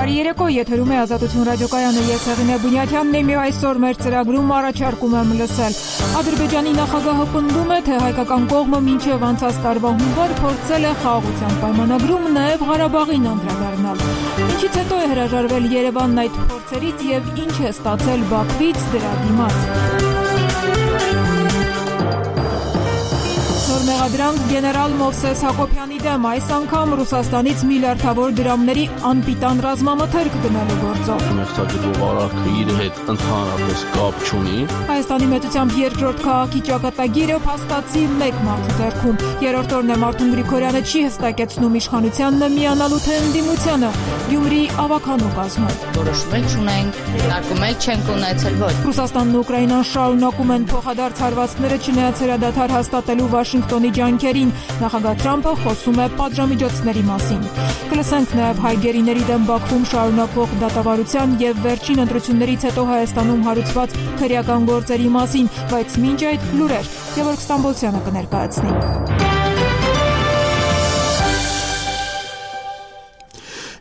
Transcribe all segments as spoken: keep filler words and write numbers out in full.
Բարի երեկո, եթերում է Ազատություն ռադիոկայանը, ես Հեղինե Բունյաթյանն եմ, այսօր մեր ծրագրում առաջարկում եմ լսել. Ադրբեջանի նախագահը պնդում է, թե հայկական կողմը մինչև անցած տարվա հունվար փորձել է խաղաղության պայմանագրում նաև Ղարաբաղին անդրադառնալ։ Ինչից հետո է հրաժարվել Երևանն այդ փորձերից եւ ինչ է ստացել Բաքվից դրա դիմաց։ Մեղադրանք գեներալ Մովսես Հակոբյանի դեմ, այս անգամ Ռուսաստանից միլիարդավոր դրամների անպիտան ռազմամթերք գնելու գործով։ Մեղսակերպող արարքը իր հետ ընդհանրապես կապ չունի։ Հայաստանի մեծությամբ երկրորդ քաղաքի ճակատագիրը փաստացի մեկ մարդու ձեռքում։ Երրորդ օրն է Մարտուն Գրիգորյանը չի հստակեցնում իշխանությանն միանալու թե ընդդիմությանը։ Գյումրի ավականու կազմում։ Որոշում չունենք, նարկում չենք ունեցել ոչ։ Ռուսաստանն ու Ուկրաինան շարունակում են փոխադարձ հարվածները չնայած հրադադար հաստատելու Վաշինգտոնի ջանքերին, նախագահ Թրամփը խոսում է պատժամիջոցների մասին։ Կլսենք նաև հայ գերիների դեմ Բաքվում շարունակվող դատավարության եւ վերջին ընտրություններից հետո Հայաստանում հարուցված քրեական գործերի մասին, բայց մինչ այդ լուրեր Գևորգ Ստամբոլցյանը կներկայացնի։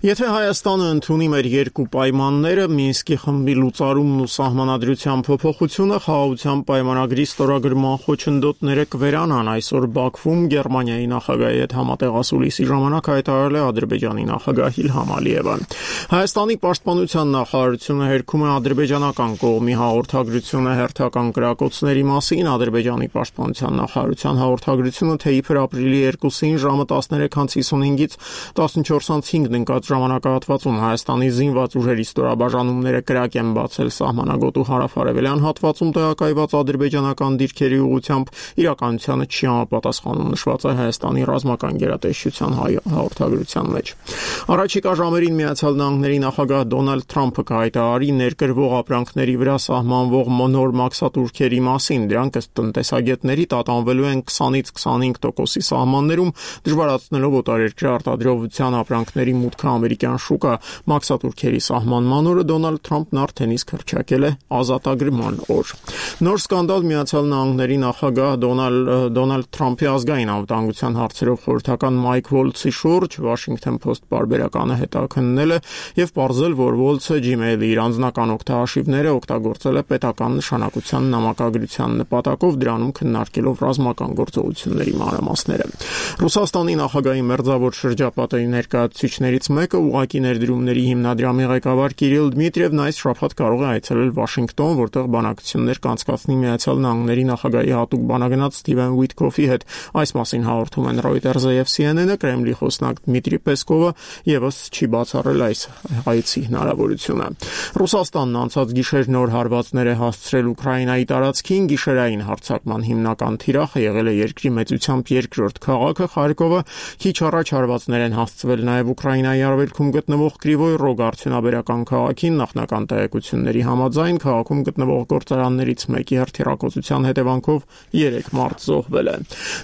Եթե Հայաստանը ընդունի մեր երկու պայմանները, Մինսկի խմբի լուծարումն ու սահմանադրության փոփոխությունը, խաղաղության պայմանագրի ստորագրման խոչընդոտները կվերանան, այսօր Բաքվում Գերմանիայի նախագահի հետ համատեղասուլիսի ժամանակ հայտարարել է Ադրբեջանի նախագահ Իլհամ Ալիևը։ Հայաստանի պաշտպանության նախարարությունը հերքում է ադրբեջանական կողմի հաղորդագրությունը հերթական կրակոցների մասին։ Ադրբեջանի պաշտպանության նախարարության հաղորդագրությունը, թե իբր ապրիլի երկուսին ժամը տասներեք հինգից տասնչորս հինգ ընկած ժամանակահատվածում Հայաստանի զինված ուժերի ստորաբաժանումները կրակ են բացել սահմանագոտու հարավարևելյան հատվածում տեղակայված ադրբեջանական դիրքերի ուղղությամբ, իրականությանը չի համապատասխանում, նշված է Հայաստանի ռազմական գերատեսչության հաղորդագրության մեջ։ Առաջիկա ժամերին Միացյալ Նահանգների նախագահ Դոնալդ Թրամփը կհայտարարի ներկրվող ապրանքների վրա սահմանվող նոր մաքսատուրքերի մասին։ Դրանք ըստ տնտեսագետների տատանվելու են քսանից քսանհինգ տոկոսի սահմաններում, դժվարացնելով օտարերկրյա արտադրողության ապրանքների մուտքը ամերիկյան շուկա։ Մաքսատուրքերի սահմանման օրը Դոնալդ Թրամփն արդեն իսկ հռչակել է ազատագրման օր։ Նոր սկանդալ Միացյալ Նահանգների նախագահ Դոնալդ Թրամփի ազգային անվտանգության հարցերով խորհրդական Մայք Վոլցի շուրջ Washington Post պարբերականը հետաքննել է եւ պարզել, որ Վոլցը Gmail-ի իր անձնական օգտահաշիվները օգտագործել է պետական նշանակության նամակագրության նպատակով, դրանում քննարկելով ռազմական գործողությունների մանրամասները։ Ռուսաստանի նախագահի մերձավոր շրջապատի ներկայացուցիչներից մեկը ուղղակի ներդրումների հիմնադրամի ղեկավար Կիրիլ Դմիտրիևն այս շաբաթ կարող է այցելել Վաշինգտոն, որտեղ բանակցություններ կանցկացնի Միացյալ Նահանգների նախագահի հատուկ բանագնաց Սթիվեն Ուիտկոֆի հետ։ Այս մասին հաղորդում են Reuters-ը եւ C N N-ը, Կրեմլի խոսնակ Դմիտրի Պեսկովը եւս չի բացառել այս այցի հնարավորությունը։ Ռուսաստանն անցած գիշեր նոր հարվածներ է հասցրել Ուկրաինայի տարածքին, գիշերային հարձակման հիմնական թիրախը եղել է երկրի մեծությամբ երկրորդ քաղաքը Խարկովը, քիչ առաջ հարվածներ են հասցվել նաեւ Ուկրաինայի արևելքում գտնվող Կրիվոյ Ռոգ արդյունաբերական քաղաքին, նախնական տեղեկությունների համաձայն քաղաքում գտնվող գործարաններից մեկի հրթիռակոծության հետևանքով երեք մարդ զոհվել է։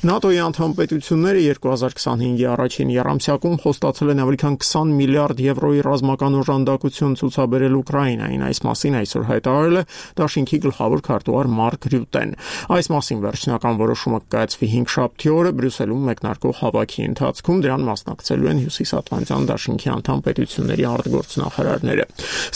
ՆԱՏՕ-ի անդամ պետությունները երկու հազար քսանհինգի առաջին եռամսյակում խոստացել են ավելի քան քսան միլիարդ եվրոյի ռազմական օժանդակություն ցուցաբերել Ուկրաինային։ Այս մասին այսօր հայտարարել է Դաշինքի գլխավոր քարտուղար Մարկ Ռյուտեն։ Այս մասին վերջնական որոշումը կայացվի հինգշաբթի օրը Բրյուսելում մեկնարկող հավաքի ընթացքում, դրան մասնակցելու են Հյուսիսատլանտյան Դաշինքի անդամ պետությունների արտգործնախարարները։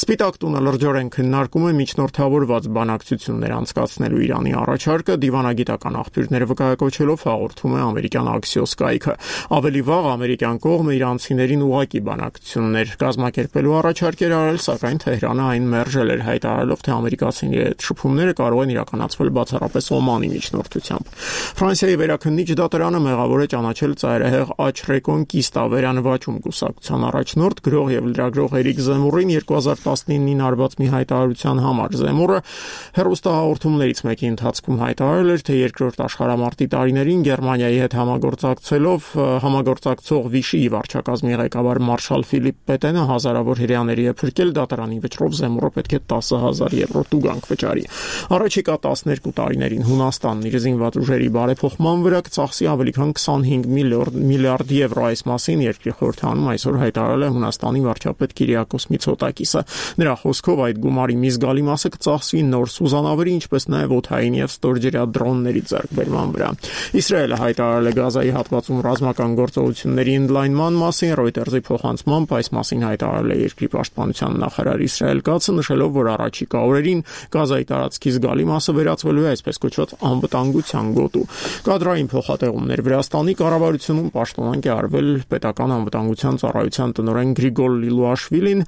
Սպիտակ տունը լրջորեն քննարկում է միջնորդավորված բանակցություններ անցկացնելու Իրանի առաջարկը, դիվանագիտական աղբյուրները վկայակոչելով հաղորդում է ամերիկյան Axios կայքը։ Ավելի վաղ ամերիկյան կողմը իրանցիներին ուղղակի բանակցություններ կազմակերպելու առաջարկ էր արել, սակայն Թեհրանը այն մերժել էր, հայտարարելով, թե ամերիկացիների հետ շփումները կարող են իրականացվել բացառապես Օմանի միջնորդությամբ։ Ֆրանսիայի վերաքննիչ դատարանը մեղավոր է ճանաչել ծայրահեղ Աչ Ռեկոնկիստա վերանվաճում կուսակցության առաջնորդ գրող եւ լրագրող Էրիկ Զեմուրին երկու հազար տասնինին արված մի հայտարարության համար։ Զեմուրը հեռուստահաղորդումներից մեկի ընթացքում հայտարարել էր, թե երկրորդ աշխարհամարտի տարիներին Գերմանիայի հետ համագործակցելով համագործակցող Վիշիի վարչակազմի ղեկավար մարշալ Ֆիլիպ Պետենը հազարավոր հրեաների է փրկել, դատարանի վճռով Զեմուրը պետք է տասը հազար եվրո տուգանք վճարի։ Առաջիկա տասներկու տարիներին Հունաստանն իր զինված ուժերի բարեփոխման վրա կծախսի ավելի քան քսանհինգ միլիարդ եվրո։ Այս մասին երկրի խորհրդանում այսօր հայտարարել հայտարարել է Հունաստանի վարչապետ Կիրիակոս Միցոտակիսը։ Նրա խոսքով այդ գումարի մի զգալի մասը կծախսվի նոր սուզանավերի, ինչպես նաև օդային եւ ստորջրյա դրոնների ձեռքբերման վրա։ Իսրայելը հայտարարել է Գազայի հատվածում ռազմական գործողությունների ընդլայնման մասին, Reuters-ի փոխանցմամբ այս մասին հայտարարել է երկրի պաշտպանության նախարար Իսրայել Կացը, նշելով, որ առաջիկա օրերին Գազայի տարածքի զգալի մասը վերածվելու է այսպես կոչված անվտանգության գոտու։ Կադրային փոխատեղումներ Վրաստանի կառավարությունում պաշտոնանկ է արվել պետական անվտանգության ծառայության տնօրեն Գրիգոր Լիլուաշվիլին,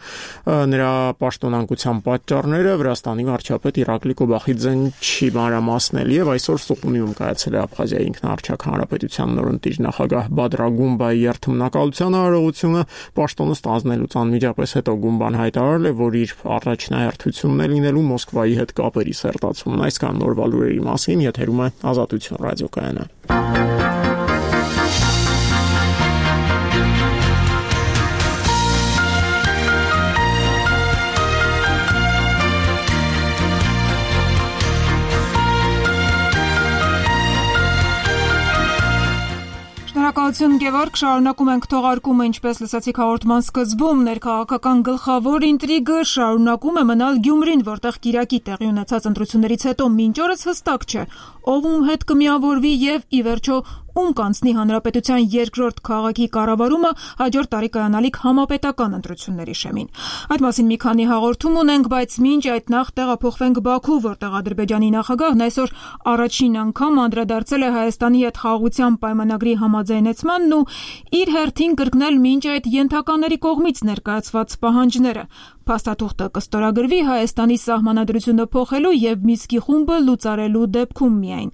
նրա պաշտոնանկության պատճառները Վրաստանի վարչապետ Իրակլի Կոբախիձեն չի մանրամասնել եւ այսօր Սուխումիում կայացել է Աբխազիայի ինքնաարչակ հանրապետության նորընտիր նախագահ Բադրա Գումբայի երթմնակալության արարողությունը, պաշտոնը ստանձնելուց անմիջապես հետո Գումբան հայտարարել է, որ իր առաջնահերթությունն է լինելու Մոսկվայի հետ կապերի սերտացումն։ Այսքան նորվա լուրերի մասին եթերում է Ազատություն ռադիոկայանը։ Շնորհակալություն Գևորգ, շարունակում ենք թողարկումը, ինչպես լսեցիք հաղորդման սկզբում, ներքաղաքական գլխավոր ինտրիգը շարունակում է մնալ Գյումրին, որտեղ Կիրակի տեղի ունեցած ընտրություններից հետո մինչ օրս հստակ չէ, ով ում հետ կմիավորվի եւ ի վերջո ում կանցնի հանրապետության երկրորդ քաղաքի կառավարումը հաջորդ տարի կայանալիք համապետական ընտրությունների շեմին։ Այդ մասին մի քանի հաղորդում ունենք, բայց մինչ այդ նախ տեղափոխվենք Բաքու, որտեղ Ադրբեջանի նախագահն այսօր առաջին անգամ անդրադարձել է Հայաստանի հետ խաղաղության պայմանագրի համաձայնեցմանն ու իր հերթին կրկնել մինչ այդ ենթականների կողմից ներկայացված պահանջները։ Փաստաթուղթը կստորագրվի Հայաստանի սահմանադրությունը փոխելու եւ Մինսկի խումբը լուծարելու դեպքում միայն։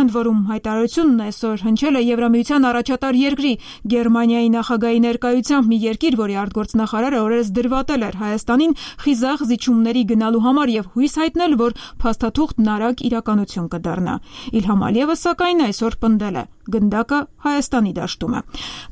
Ընդ որում հայտարարությունն այսօր հնչել է Եվրամիության առաջատար երկրի Գերմանիայի նախագահի ներկայությամբ, մի երկիր, որի արտգործնախարարը օրերս դրվատել էր Հայաստանին խիզախ զիջումների գնալու համար եւ հույս հայտնել, որ փաստաթուղթն արագ իրականություն կդառնա։ Իլհամ Ալիևը սակայն այսօր պնդել է գնդակը Հայաստանի դաշտում է։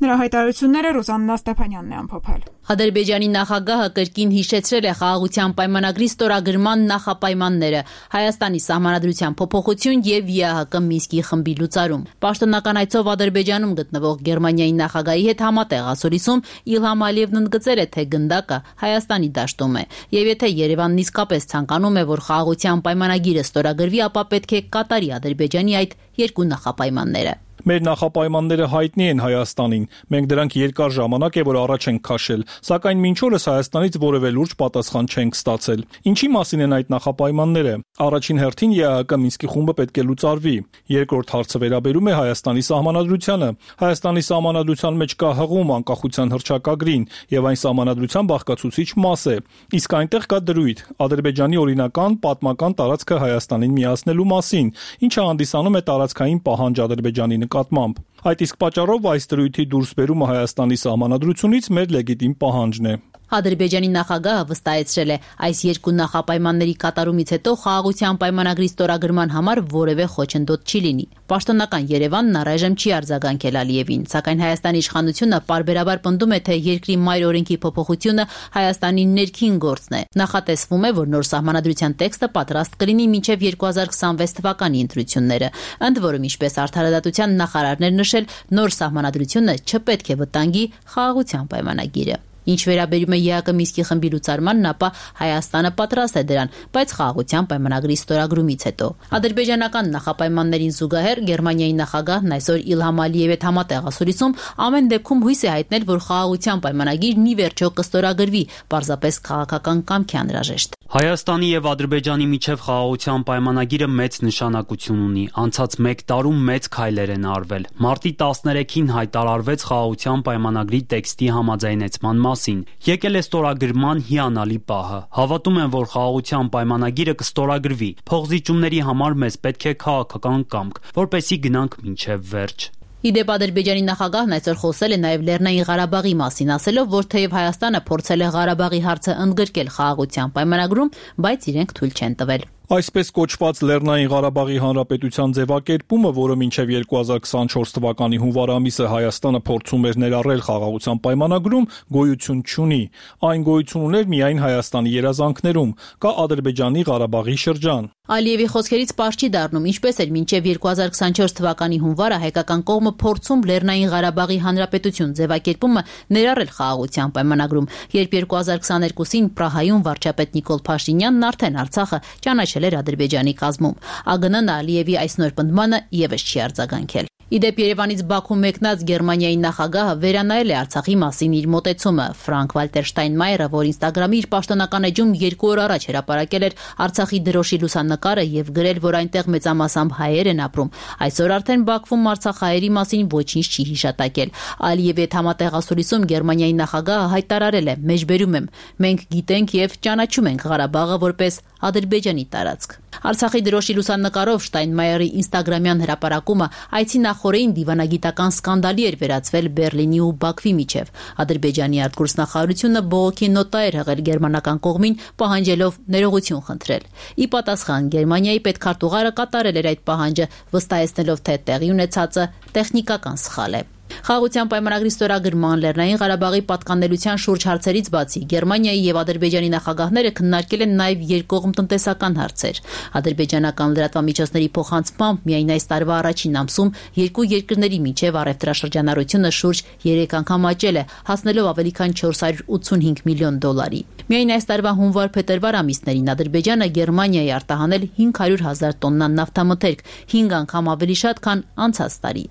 Նրա հայտարարությունները Ռուզաննա Ստեփանյանն է ամփոփել։ Ադրբեջանի նախագահը կրկին հիշեցրել է խաղաղության պայմանագրի ստորագրման նախապայմանները, Հայաստանի սահմանադրության փոփոխություն եւ ԵԱՀԿ Մինսկի խմբի լուծարում։ Պաշտոնական այցով Ադրբեջանում գտնվող Գերմանիայի նախագահի հետ համատեղ ասորիսում Իլհամ Ալիևն ընդգծել է, թե գնդակը Հայաստանի դաշտում է, եւ եթե Երևանն իսկապես ցանկանում է, որ խաղաղության պայմանագիրը ստորագրվի, ապա պետք է կատարի Ադրբեջանի այդ երկու նախապայմանները։ Մեր նախապայմանները հայտնի են Հայաստանին։ Մենք դրանք երկար ժամանակ է որ առաջ ենք քաշել, սակայն մինչ օրս Հայաստանից որևէ լուրջ պատասխան չենք ստացել։ Ինչի մասին են այդ նախապայմանները։ Առաջին հերթին ԵԱՀԿ Մինսկի խումբը պետք է լուծարվի։ Երկրորդ հարցը վերաբերում է Հայաստանի սահմանադրությանը։ Հայաստանի սահմանադրության մեջ կա հղում անկախության հռչակագրին եւ այն սահմանադրության բաղկացուցիչ մաս է։ Իսկ այնտեղ կա դրույթ Ադրբեջանի օրինական պատմական տարածքը Հայաստանին միացնելու մասին, ինչը հանդիսանում է տարածքային պահանջ Ադրբեջանի նկատմամբ։ Այդ իսկ պատճառով այս դրույթի դուրսբերումը Հայաստանի սահմանադրությունից մեր լեգիտիմ պահանջն է։ Ադրբեջանի նախագահը վստահեցրել է, այս երկու նախապայմանների կատարումից հետո խաղաղության պայմանագրի ստորագրման համար որևէ խոչընդոտ չի լինի։ Պաշտոնական Երևանն առայժմ չի արձագանքել Ալիևին, սակայն Հայաստանի իշխանությունը պարբերաբար պնդում է, թե երկրի մայր օրենքի փոփոխությունը Հայաստանի ներքին գործն է։ Նախատեսվում է, որ նոր սահմանադրության տեքստը պատրաստ կլինի մինչև երկու հազար քսանվեց թվականի ընտրությունները։ Ընդ որում, ինչպես արդարադատության նախարարն էր նշել, նոր սահմանադրությունը չպետք է վտանգի խաղաղության պայմանագիրը։ Ինչ վերաբերում է ԵԱՀԿ Մինսկի խմբի լուծարմանն, ապա Հայաստանը պատրաստ է դրան, բայց խաղաղության պայմանագրի ստորագրումից հետո։ Ադրբեջանական նախապայմաններին զուգահեռ Գերմանիայի նախագահն այսօր Իլհամ Ալիևի հետ համատեղ ասորիսում ամեն դեպքում հույս է հայտնել, որ խաղաղության պայմանագիրն ի վերջո կստորագրվի, պարզապես քաղաքական կամքի անհրաժեշտ։ Հայաստանի եւ Ադրբեջանի միջև խաղաղության պայմանագիրը մեծ նշանակություն ունի։ Անցած մեկ տարում մեծ քայլեր են արվել։ Մարտի տասներեքին հայտարարվեց խաղաղության պայմանագրի տեքստի համաձայնեցման մասին։ Եկել է ստորագրման հիանալի պահը։ Հավատում եմ, որ խաղաղության պայմանագիրը կստորագրվի։ Փոխզիջումների համար մեզ պետք է քաղաքական կամք, որպեսզի գնանք մինչև վերջ։ Իդեպ Ադրբեջանի նախագահն այսօր խոսել է նաև Լեռնային Ղարաբաղի մասին, ասելով, որ թեև Հայաստանը փորձել է Ղարաբաղի հարցը ընդգրկել խաղաղության պայմանագրում, բայց իրենք թույլ չեն տվել։ Այսպես կոչված Լեռնային Ղարաբաղի Հանրապետության ձևակերպումը, որը մինչև երկու հազար քսանչորս թվականի հունվար ամիսը Հայաստանը փորձում էր ներառել խաղաղության պայմանագրում, գոյություն չունի։ Այն գոյություն ուներ միայն Հայաստանի երազանքներում, կա Ադրբեջանի Ղարաբաղի շրջան։ Ալիևի խոսքերից պարզ չի դառնում, ինչպես էր մինչև երկու հազար քսանչորս թվականի հունվարը հայկական կողմը փորձում Լեռնային Ղարաբաղի Հանրապետություն ձևակերպումը ներառել խաղաղության պայմանագրում, երբ երկու հազար քսաներկուսին Պրահայում վարչապետ Նիկոլ Փաշինյանն արդեն Արցախը ճանաչել էր Ադրբեջանի կազմում։ ԱԳՆ-ն Ալիևի այս նոր պնդմանը եւս չի արձագանքել։ Իդեպ Երևանից Բաքու մեկնած Գերմանիայի նախագահը վերանայել է Արցախի մասին իր մոտեցումը։ Ֆրանկ Վալտեր Շտայնմայերը, որ Ինստագրամի իր պաշտոնական էջում երկու օր առաջ հրապարակել էր Արցախի դրոշի լուսանկարը եւ գրել, որ այնտեղ մեծամասամբ հայեր են ապրում, այսօր արդեն Բաքվում արցախահայերի մասին ոչինչ չի հիշատակել։ Ալիևի հետ համատեղ ասուլիսում Գերմանիայի նախագահը հայտարարել է. «Մեջբերում եմ, մենք գիտենք եւ ճանաչում ենք Ղարաբաղը որպես Ադրբեջանի տարածք»։ Արցախի դրոշի լուսանկարով Շտայնմայերի ինստագրամյան հրապարակումը այցի նախորդին դիվանագիտական սկանդալի էր վերածվել Բեռլինի ու Բաքվի միջև։ Ադրբեջանի արտգործնախարարությունը բողոքի նոտա էր հղել գերմանական կողմին, պահանջելով ներողություն խնդրել։ Ի պատասխան Գերմանիայի պետքարտուղարը կատարել էր այդ պահանջը, վստահեցնելով, թե տեղի ունեցածը տեխնիկական սխալ է։ Խաղաղության պայմանագրի ստորագրման Լեռնային Ղարաբաղի պատկանելության շուրջ հարցերից բացի Գերմանիայի եւ Ադրբեջանի նախագահները քննարկել են նաեւ երկկողմ տնտեսական հարցեր։ Ադրբեջանական լրատվամիջոցների փոխանցմամբ միայն այս տարվա առաջին ամսում երկու երկրների միջև առևտրաշրջանառությունը շուրջ երեք անգամ աճել է, հասնելով ավելի քան չորս հարյուր ութսունհինգ միլիոն դոլարի։ Միայն այս տարվա հունվար-փետրվար ամիսներին Ադրբեջանը Գերմանիայի արտահանել հինգ հարյուր հազար տոննա նավթամթերք, հինգ անգամ ավելի շատ, քան անցած տարի։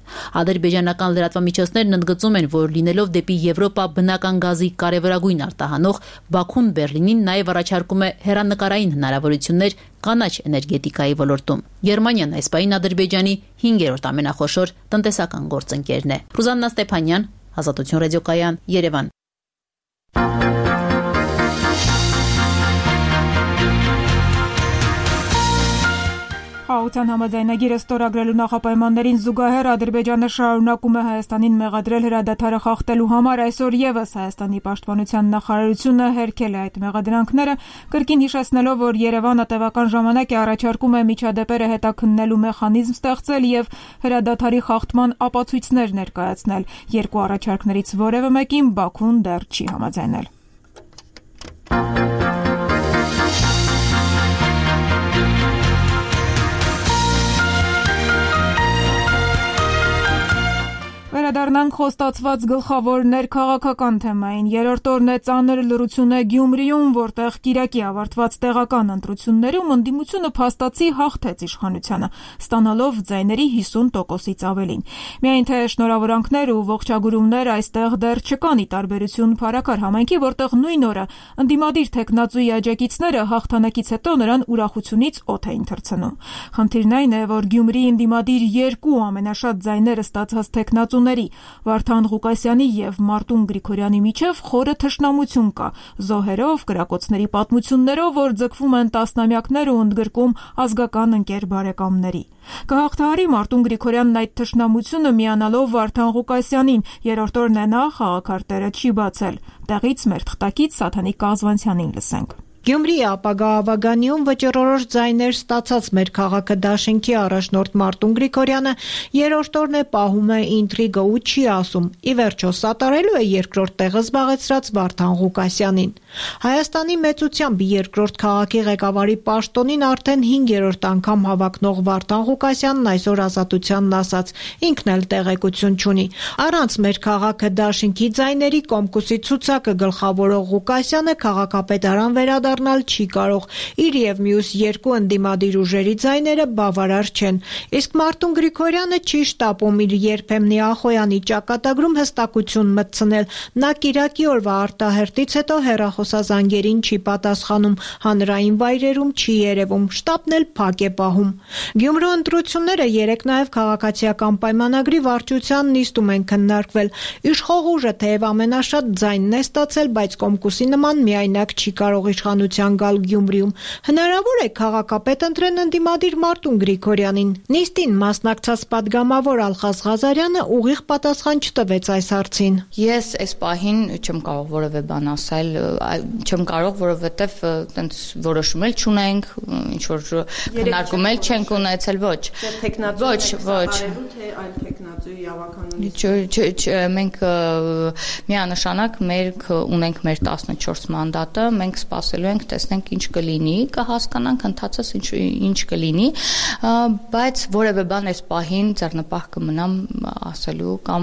Ադրբեջանական լրատվամիջոցներն ընդգծում են, որ լինելով դեպի Եվրոպա բնական գազի կարևորագույն արտահանող, Բաքուն Բեռլինին նաև առաջարկում է հեռանկարային հնարավորություններ կանաչ էներգետիկայի ոլորտում։ Գերմանիան այս պահին Ադրբեջանի հինգերորդ ամենախոշոր տնտեսական գործընկերն է։ Ռուզաննա Ստեփանյան, Ազատություն ռադիոկայան, Երևան։ Խաղաղության համաձայնագիրը ստորագրելու նախապայմաններին զուգահեռ Ադրբեջանը շարունակում է Հայաստանին մեղադրել հրադադարը խախտելու համար։ Այսօր եւս Հայաստանի պաշտպանության նախարարությունը հերքել է այդ մեղադրանքները, կրկին հիշեցնելով, որ Երևանը տևական ժամանակ է առաջարկում է միջադեպերը հետաքննելու մեխանիզմ ստեղծել եւ հրադադարի խախտման ապացույցներ ներկայացնել։ Երկու առաջարկներից որևէ մեկին Բաքուն դեռ չի համաձայնել։ Վերադառնանք խոստացված գլխավոր ներքաղաքական թեմային։ Երրորդ օրն է ծանր լռություն է Գյումրիում, որտեղ կիրակի ավարտված տեղական ընտրություններում ընդդիմությունը փաստացի հաղթեց իշխանությանը, ստանալով ձայների հիսուն տոկոսից ավելին։ Միայն թե շնորհավորանքներ ու ողջագուրումներ այստեղ դեռ չկան, ի տարբերություն Փարաքար համայնքի, որտեղ նույն օրը ընդդիմադիր թեկնածուի աջակիցները հաղթանակից հետո նրան ուրախությունից օդ էին թռցնում։ Խնդիրն այն է, որ Գյումրիի ընդդիմադիր երկու ամենաշատ ձայները ստացած թեկնածու Վարդան Ղուկասյանի եւ Մարտուն Գրիգորյանի միջև խորը թշնամություն կա, զոհերով, կրակոցների պատմություններով, որ ձգվում են տասնամյակներ ու ընդգրկում ազգական ընկեր բարեկամների։ Կհաղթահարի Մարտուն Գրիգորյանն այդ թշնամությունը միանալով Վարդան Ղուկասյանին, երրորդ օրն է նա խաղաքարտերը չի բացել։ Տեղից մեր թղթակից Սաթանիկ Կազվանցյանին լսենք։ Գյումրիի ապագա ավագանիում վճռորոշ ձայներ ստացած մեր քաղաքը դաշինքի առաջնորդ Մարտուն Գրիգորյանը երրորդ օրն է պահում է ինտրիգը ու չի ասում, ի վերջո սատարելու է երկրորդ տեղը զբաղեցրած Վարդան Ղուկասյանին։ Հայաստանի մեծությամբ երկրորդ քաղաքի ղեկավարի պաշտոնին արդեն հինգերորդ անգամ հավակնող Վարդան Ղուկասյանն այսօր Ազատությանն ասաց, ինքն էլ տեղեկություն չունի։ Առանց մեր քաղաքը դաշինքի ձայների կոմկուսի ցուցակը գլխավորող Ղուկասյանը քաղաքապետարան վերադառնալ չի կարող, իր եւ մյուս երկու ընդդիմադիր ուժերի ձայները բավարար չեն։ Իսկ Մարտուն Գրիգորյանը չի շտապում իր երբեմնի Ախոյանի ճակատագրում հստակություն մտցնել։ Նա կիրակի օրվա արտահերտից հետո հեռախոսազանգերին չի պատասխանում, հանրային վայրերում չի երևում, շտաբն էլ փակ է պահում։ Գյումրու ընտրությունները երեք նաեւ քաղաքացիական պայմանագրի վարչության նիստում են քննարկվել։ Իշխող ուժը թեև ամենաշատ ձայնն է ստացել, բայց կոմկուսի նման միայնակ չի կարող իշխանության գալ Գյումրիում։ Հնարավոր է քաղաքապետ ընտրեն ընդդիմադիր Մարտուն Գրիգորյանին։ Նիստին մասնակցած падգամավոր Ալխազ Ղազարյանը ուղիղ պատասխան չտվեց այս հարցին։ Ես այս պահին չեմ կարող որևէ բան ասել, չեմ կարող, որովհետև տենց որոշում էլ չունենք, ինչ որ քննարկում էլ չենք ունեցել, ոչ։ Ոչ, ոչ։ Թե այլ տեխնացուի ավականունից։ Մենք միանշանակ մենք ունենք մեր տասնչորս մանդատը, մենք սպասելու նայելու ենք, տեսնենք ինչ կլինի, կհասկանանք ընթացած ինչ ինչ կլինի, բայց որևէ բան այս պահին ձեռնպահ կմնամ ասելու կամ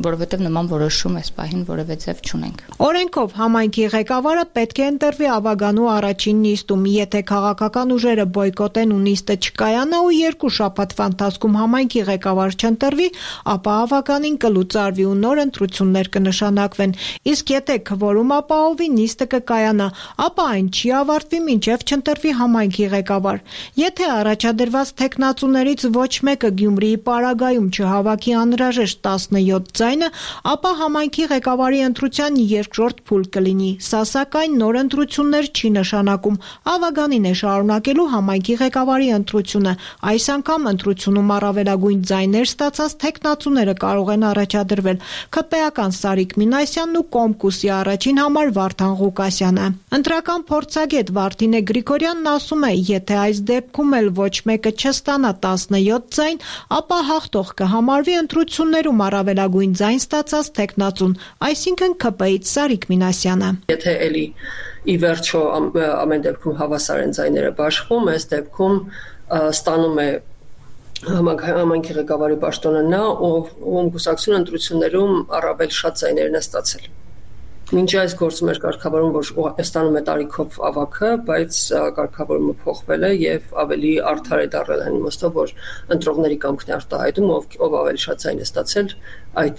որովհետև նման որոշում այս պահին որևէ ձև չունենք։ Օրենքով համայնքի ղեկավարը պետք է ընտրվի ավագանու առաջին նիստում, եթե քաղաքական ուժերը բոյկոտեն ու նիստը չկայանա ու երկու շաբաթվա ընթացքում համայնքի ղեկավար չընտրվի, ապա ավագանին կլուծարվի ու նոր ընտրություններ կնշանակվեն։ Իսկ եթե քվորում ապահովի, նիստը կկայանա, ապա այն չի ավարտվի մինչև չընտրվի համայնքի ղեկավար։ Եթե առաջադրված թեկնածուներից ոչ մեկը Գյումրիի պարագայում չհավաքի անհրաժեշտ տասնյոթ ձայնը, ապա համայնքի ղեկավարի ընտրության երկրորդ փուլ կլինի։ Սա սակայն նոր ընտրություններ չի նշանակում։ Ավագանին է շարունակելու համայնքի ղեկավարի ընտրությունը։ Այս անգամ ընտրությունում առավելագույն ձայներ ստացած թեկնածուները կարող են առաջադրվել ՔՊ-ական Սարիկ Մինասյանն ու Կոմկուսի առաջին համար Վարդան Ղուկասյանը։ Ընտրական փորձագետ Վարդինե Գրիգորյանն ասում է, եթե այս դեպքում էլ ոչ մեկը չստանա տասնյոթ ձայն, ապա հաղթող կհամարվի ընտրություններում առավելագույն ձայն ստացած թեկնածուն, այսինքն ՔՊ-ից Սարիկ Մինասյանը։ Եթե էլի ի վերջո ամեն դեպքում հավասար են ձայները բաշխում, այս դեպքում ստանում է համայնքի ղեկավարի պաշտոնը նա, ում կուսակցությունը ընտրություններում առավել շատ ձայներն է ստացել։ Մինչ այս գործում էր կարգավորում, որ ստանում է տարիքով ավագը, բայց կարգավորումը փոխվել է եւ ավելի արդար է դարձել այն իմաստով, որ ընտրողների կամքն է արտահայտում, ով ով ավելի շատ ձայն է ստացել, այդ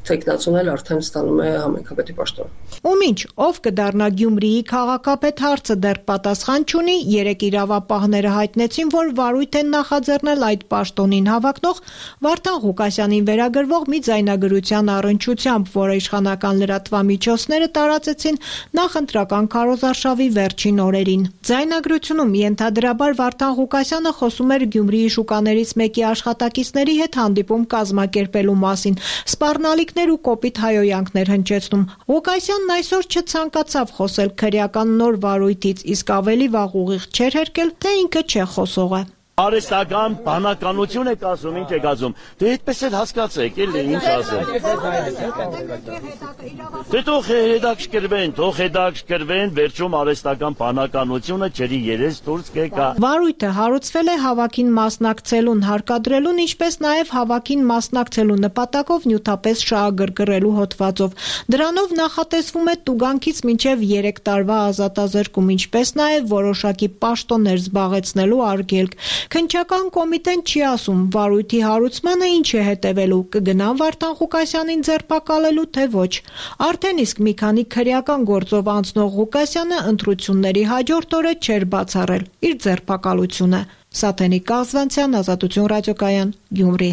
թեկնածուն էլ արդեն ստանում է համայնքապետի պաշտոնը։ Ու մինչ ով կդառնա Գյումրիի քաղաքապետ հարցը դեռ պատասխան չունի, երեք իրավապահները հայտնեցին, որ վարույթ են նախաձեռնել այդ պաշտոնին հավակնող Վարդան Ղուկասյանին վերագրվող մի ձայնագրության առնչությամբ, որը իշխանական լրատվամիջոցները տարածեցին նախընտրական քարոզարշավի վերջին օրերին։ Ձայնագրությունում ենթադրաբար Վարդան Ղուկասյանը խոսում էր Գյումրիի շուկաներից մեկի աշխատակիցների հետ հանդիպում կազմակերպելու մասին, սպառնալիքներ ու կոպիտ հայոյանքներ հնչեցնում։ Ղուկասյանն այսօր չցանկացավ խոսել քրեական նոր վարույթից, իսկ ավելի վաղ ուղիղ չէր հերկել, թե ինքը չէ խոսողը։ Արհեստական բանականություն եք ասում, ինչ եք ասում։ Դե այդպես էլ հասկացեք, էլի ինչ ասեմ։ Դե թող հետաքրքրվեն, թող հետաքրքրվեն, վերջում արհեստական բանականությունը ջրի երես դուրս կեկա։ Վարույթը հարուցվել է հավաքին մասնակցելուն հարկադրելուն, ինչպես նաև հավաքին մասնակցելու նպատակով նյութապես շահագրգռելու հոդվածով։ Դրանով նախատեսվում է տուգանքից մինչև երեք տարվա ազատազրկում, ինչպես նաև որոշակի պաշտոններ զբաղեցնելու արգելք։ Քննչական կոմիտեն չի ասում վարույթի հարուցմանը ինչ է հետևելու, կգնան Վարդան Ղուկասյանին ձերբակալելու, թե ոչ։ Արդեն իսկ մի քանի քրեական գործով անցնող Ղուկասյանը ընտրությունների հաջորդ օրը չէր բացառել իր ձերբակալությունը։ Սաթենիկ Կազվանցյան, Ազատություն ռադիոկայան, Գյումրի։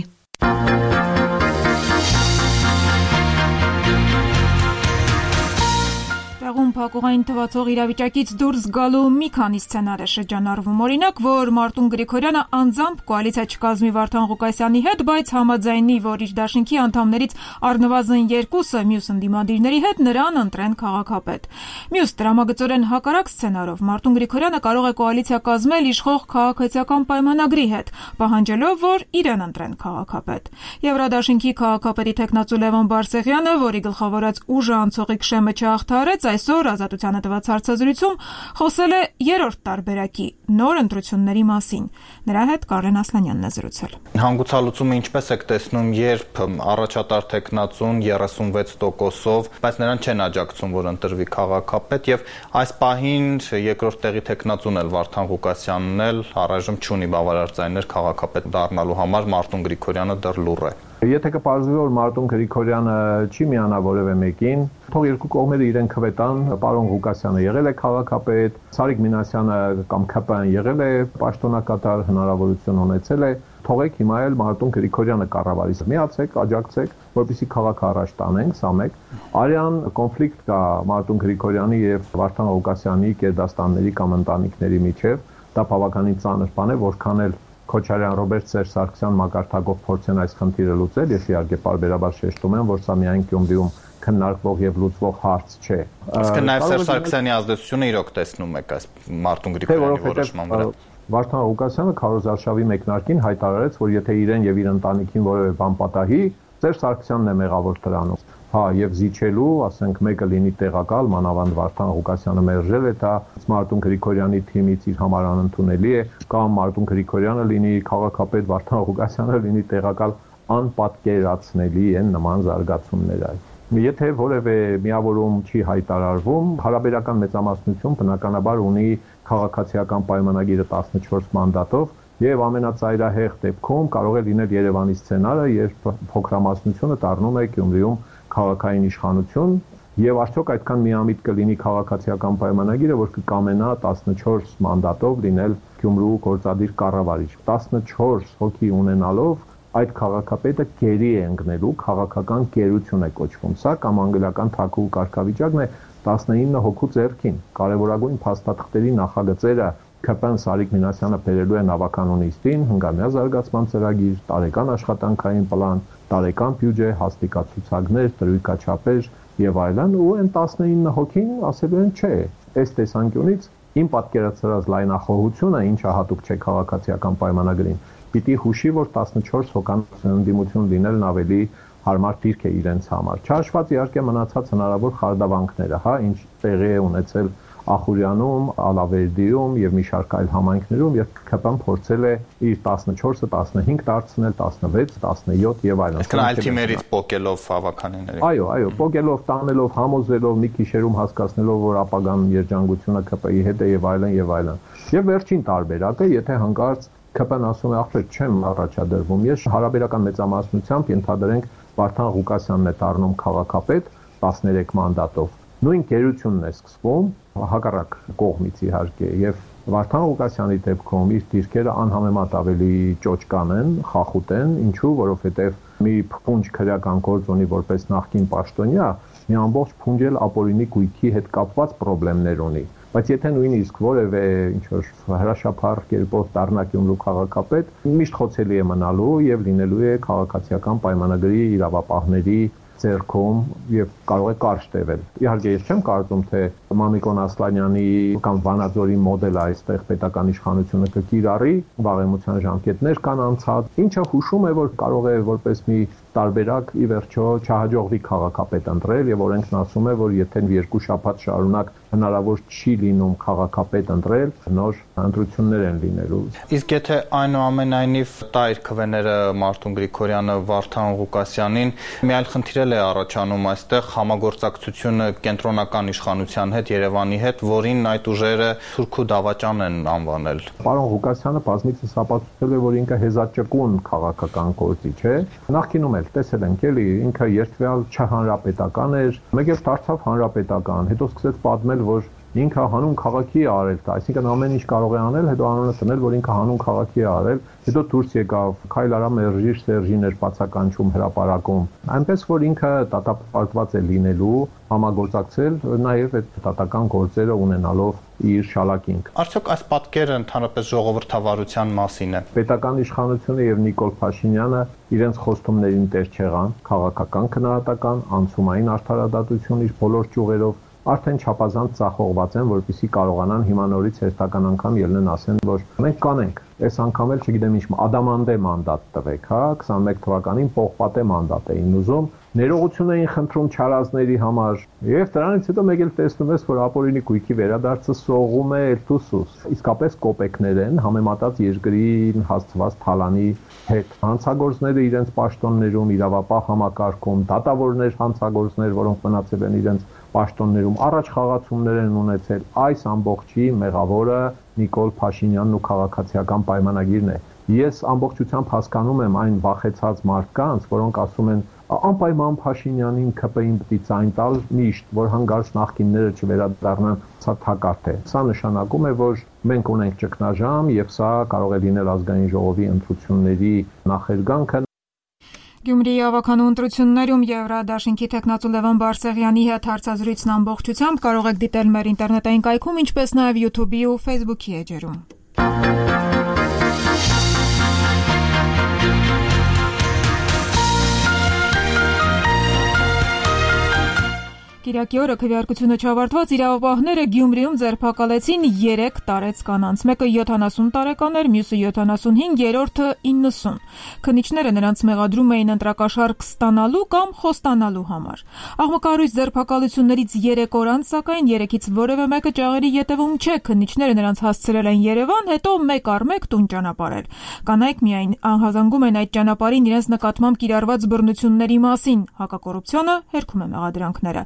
Տեղում փակուղային թվացող իրավիճակից դուրս գալու մի քանի սցենար է շրջանառվում։ Օրինակ, որ Մարտուն Գրիգորյանը անձամբ կոալիցիա չկազմի Վարդան Ղուկասյանի հետ, բայց համաձայնի, որ իր դաշինքի անդամներից առնվազն երկուսը մյուս ընդդիմադիրների հետ նրան ընտրեն քաղաքապետ։ Մյուս դրամագծորեն հակառակ սցենարով Մարտուն Գրիգորյանը կարող է կոալիցիա կազմել իշխող քաղաքացիական պայմանագրի հետ, պահանջելով, որ իրեն ընտրեն քաղաքապետ։ Եվրադաշինքի քաղաքապետի տեխնացու Լևոն Բարսեղյանը, որի գլխավորած ուժը անցողիկ շեմը չհաղթահարեց, այսօր Ազատությանը տված հարցազրույցում խոսել է երրորդ տարբերակի նոր ընտրությունների մասին։ Նրա հետ Կարեն Ասլանյանն է զրուցել։ Հանգուցալուծումը ինչպես եք տեսնում, երբ առաջատար տեխնացուն երեսունվեց տոկոսով, բայց նրան չեն աջակցում, որ ընտրվի քաղաքապետ, եւ այս պահին երկրորդ տեղի տեխնացուն էլ Վարդան Ղուկասյանն էլ առայժմ չունի բավարար ձայներ քաղաքապետ դառնալու համար, Մարտուն Գրիգորյանը դեռ լուռ է։ Եթե կպարզվի, որ Մարտուն Գրիգորյանը չի միանա որևէ մեկին, թող երկու կողմերը իրեն քվետան, պարոն Ղուկասյանը եղել է քաղաքապետ, Սարիկ Մինասյանը կամ ՔՊ-ն եղել է պաշտոնակատար, հնարավորություն ունեցել է, թողեք հիմա էլ Մարտուն Գրիգորյանը կառավարի։ Միացեք, աջակցեք, որպեսզի քաղաքը առաջ տանենք, սա մեկ։ Արյան կոնֆլիկտ կա Մարտուն Գրիգորյանի եւ Վարդան Ղուկասյանի կերդաստանների կամ ընտանիքների միջեւ, դա բավականին ծանր բան է, որքան էլ Քոչարյան, Ռոբերտ Սերժ Սարգսյան մակարդակով փորձեն այս խնդիրը լուծել, ես իհարկե պարբերաբար շեշտում եմ, որ սա միայն Գյումրիում քննարկվող եւ լուծվող հարց չէ։ Իսկ նաեւ Սերժ Սարգսյանի ազդեցությունը իրոք տեսնում եք այս Մարտուն Գրիգորյանի որոշման վրա։ Վարդան Ղուկասյանը քարոզարշավի մեկնարկին հայտարարեց, որ եթե իրեն եւ իր ընտանիքին որևէ բան պատահի, Սերժ Սարգսյանն է մեղավոր դրանում։ Հա, եւ զիջելու, ասենք, մեկը լինի տեղակալ, մանավանդ Վարդան Ղուկասյանը մերժել է դա, Մարտուն Գրիգորյանի թիմից իր համար անընդունելի է, կամ Մարտուն Գրիգորյանը լինի քաղաքապետ, Վարդան Ղուկասյանը լինի տեղակալ, անպատկերացնելի են նման զարգացումները։ Եթե որևէ միավորում չի հայտարարվում, հարաբերական մեծամասնություն բնականաբար ունի քաղաքացիական պայմանագիրը տասնչորս մանդատով եւ ամենածայրահեղ դեպքում կարող է լինել Երևանի սցենարը, երբ փոքրամասնությունը դառնում է Գյումրիում քաղաքային իշխանություն եւ արդյոք այդքան միամիտ կլինի քաղաքացիական պայմանագիրը, որ կկամենա տասնչորս մանդատով լինել Գյումրու գործադիր կառավարիչ։ տասնչորս հոգի ունենալով այդ քաղաքապետը գերի է ընկնելու, քաղաքական գերություն է կոչվում։ Սա կամ անգլիական թագուհու կարգավիճակն է տասնինը հոգու ձեռքին։ Կարևորագույն փաստաթղթերի նախագծերը ՔՊ Սարիկ Մինասյանը բերելու է նավականու նիստին, հնգամյա զարգացման ծրագիր, տարեկան աշխատանքային պլան, տարեկան բյուջե, հաստիկացուցակներ, տրույքաչափեր եւ այլն, ու այն տասնինը հոգին ասելու են չէ։ Այս տեսանկյունից իմ պատկերացրած լայնախոհությունը, ինչը հատուկ չէ քաղաքացիական պայմանագրին, պիտի հուշի, որ տասնչորս հոկանոց ընդդիմություն լինելն ավելի հարմար դիրք է իրենց համար։ Չհաշված իհարկե մնացած հնարավոր խարդավանքները, հա, ինչ տեղի է ունեցել Ախուրյանում, Ալավերդիում եւ մի շարք այլ համայնքներում, եւ ՔՊ-ն փորձել է իր տասնչորսը տասնհինգ դարձնել, տասնվեց, տասնյոթ եւ այլն։ Այսինքն այլ թիմերից պոկելով հավաքանիների։ Այո, այո, պոկելով, տանելով, համոզելով, մի քիշերում հասկացնելով, որ ապագան երջանկությունը ՔՊ-ի հետ է եւ այլն եւ այլն։ Եվ վերջին տարբերակը, եթե հանկարծ ՔՊ-ն ասում է, ախր չեմ առաջադրվում, ես հարաբերական մեծամասնությամբ ենթադրենք Վարդան Ղուկասյանն է դառնում քաղաքապետ տասներեք մանդատով։ Նույն գերությունն է սկսվում հակառակ կողմից իհարկե եւ Վարդան Ղուկասյանի դեպքում իր դիրքերը անհամեմատ ավելի ճոճկան են, խախուտ են, ինչու, որովհետեւ մի փունջ քրեական գործ ունի որպես նախկին պաշտոնյա, մի ամբողջ փունջ էլ ապօրինի գույքի հետ կապված խնդիրներ ունի։ Բայց եթե նույնիսկ որևէ ինչ-որ հրաշափառ կերպով դառնա Գյումրու քաղաքապետ, միշտ խոցելի է մնալու եւ լինելու է քաղաքացիական պայմանագրի իրավապահների ձեռքում եւ կարող է կարճ տևել։ Իհարկե ես չեմ կարծում, թե Մամիկոն Ասլանյանի կամ Վանաձորի մոդելը այստեղ պետական իշխանությունը կկիրառի, վաղեմության ժամկետներ կան անցած, ինչը հուշում է, որ կարող է որպես մի տարբերակ ի վերջո չհաջողվի քաղաքապետ ընտրել եւ օրենքն ասում է, որ եթե երկու շաբաթ շարունակ հնարավոր չի լինում քաղաքապետ ընտրել, նոր ընտրություններ են լինելու։ Իսկ եթե այնուամենայնիվ տա իր քվեները Մարտուն Գրիգորյանը Վարդան Ղուկասյանին, մի այլ խնդիր է առաջանում այստեղ համագործակցությունը կենտրոնական իշխանության հետ, Երևանի հետ, որին այդ ուժերը թուրք ու դավաճան են անվանել։ Պարոն Ղուկասյանը բազմիցս ապացուցել է, որ ինքը հեզաճկուն քաղաքական գործիչ է։ Նախկինում էլ տեսել ենք, էլի, ինքը երթվյալ չհանրապետական էր, մեկ էլ դարձավ հանրապետական, հետո սկսեց պատմել, որ ինքը հանուն քաղաքի է արել դա, այսինքն ամեն ինչ կարող է անել, հետո անունը տնել, որ ինքը հանուն քաղաքի է արել, հետո դուրս եկավ, քայլ արա մերժիր Սերժին էր բացականչում հրապարակում, այնպես որ ինքը դատապարտված է լինելու համագործակցել նաև այդ դատական գործերը ունենալով իր շալակինք։ Արդյոք այս պատկերը ընդհանրապես ժողովրդավարության մասին է։ Պետական իշխանությունը եւ Նիկոլ Փաշինյանը իրենց խոստումներին տեր չեղան, քաղաքական քննադատական, անցումային արդարադատություն իր բոլոր ճյուղերով արդեն չափազանց ծախողված են, որպեսզի կարողանան հիմա նորից հերթական անգամ ելնեն ասեն, որ մենք կանենք, այս անգամ էլ չգիտեմ ինչ ադամանդե մանդատ տվեք, հա, քսանմեկ թվականին պողպատե մանդատ էին ուզում, ներողություն էին խնդրում չարազների համար, եւ դրանից հետո մեկ էլ տեսնում ես, որ ապօրինի գույքի վերադարձը սողում է Էլթուսուս, իսկապես կոպեկներ են համեմատած երկրին հասցված թալանի հետ։ Հանցագործները իրենց պաշտոններում, իրավապահ համակարգում, դատավորներ հանցագործներ, որոնք մնացել են իրենց պաշտոններում առաջ խաղացումներ են ունեցել, այս ամբողջի մեղավորը Նիկոլ Փաշինյանն ու քաղաքացիական պայմանագիրն է։ Ես ամբողջությամբ հասկանում եմ այն վախեցած մարդկանց, որոնք ասում են անպայման Փաշինյանին ՔՊ-ին պիտի ցայն տալ միշտ, որ հանգարց նախկինները չվերադառնան, սա թակարդ է։ Սա նշանակում է, որ մենք ունենք ճգնաժամ եւ սա կարող է լինել ազգային ժողովի ընտրությունների նախերգանքը։ Գյումրիի ավականու ընտրություններում Եվրադաշինքի թեկնածու Լևոն Բարսեղյանի հետ հարցազրույցն ամբողջությամբ կարող եք դիտել մեր ինտերնետային կայքում, ինչպես նաև YouTube-ի ու Facebook-ի էջերում։ Կիրակի օրը քվեարկությունը չավարտված իրավապահները Գյումրիում ձերբակալեցին երեք տարեց կանանց, մեկը յոթանասուն տարեկան էր, մյուսը յոթանասունհինգ, երրորդը իննսուն։ Քննիչները նրանց մեղադրում էին ընտրակաշարք ստանալու կամ խոստանալու համար։ Աղմկահարույց ձերբակալություններից երեք օր անց, սակայն երեքից որևէ մեկը ճաղերի ետևում չէ, քննիչները նրանց հասցրել են Երևան, հետո մեկ առ մեկ տուն ճանապարհել։ Կանայք միայն անհազանգում են այդ ճանապարհին իրենց նկատմամբ կիրառված բռնությունների մասին, հակակոռուպցիոնը հերքում է մեղադրանքները։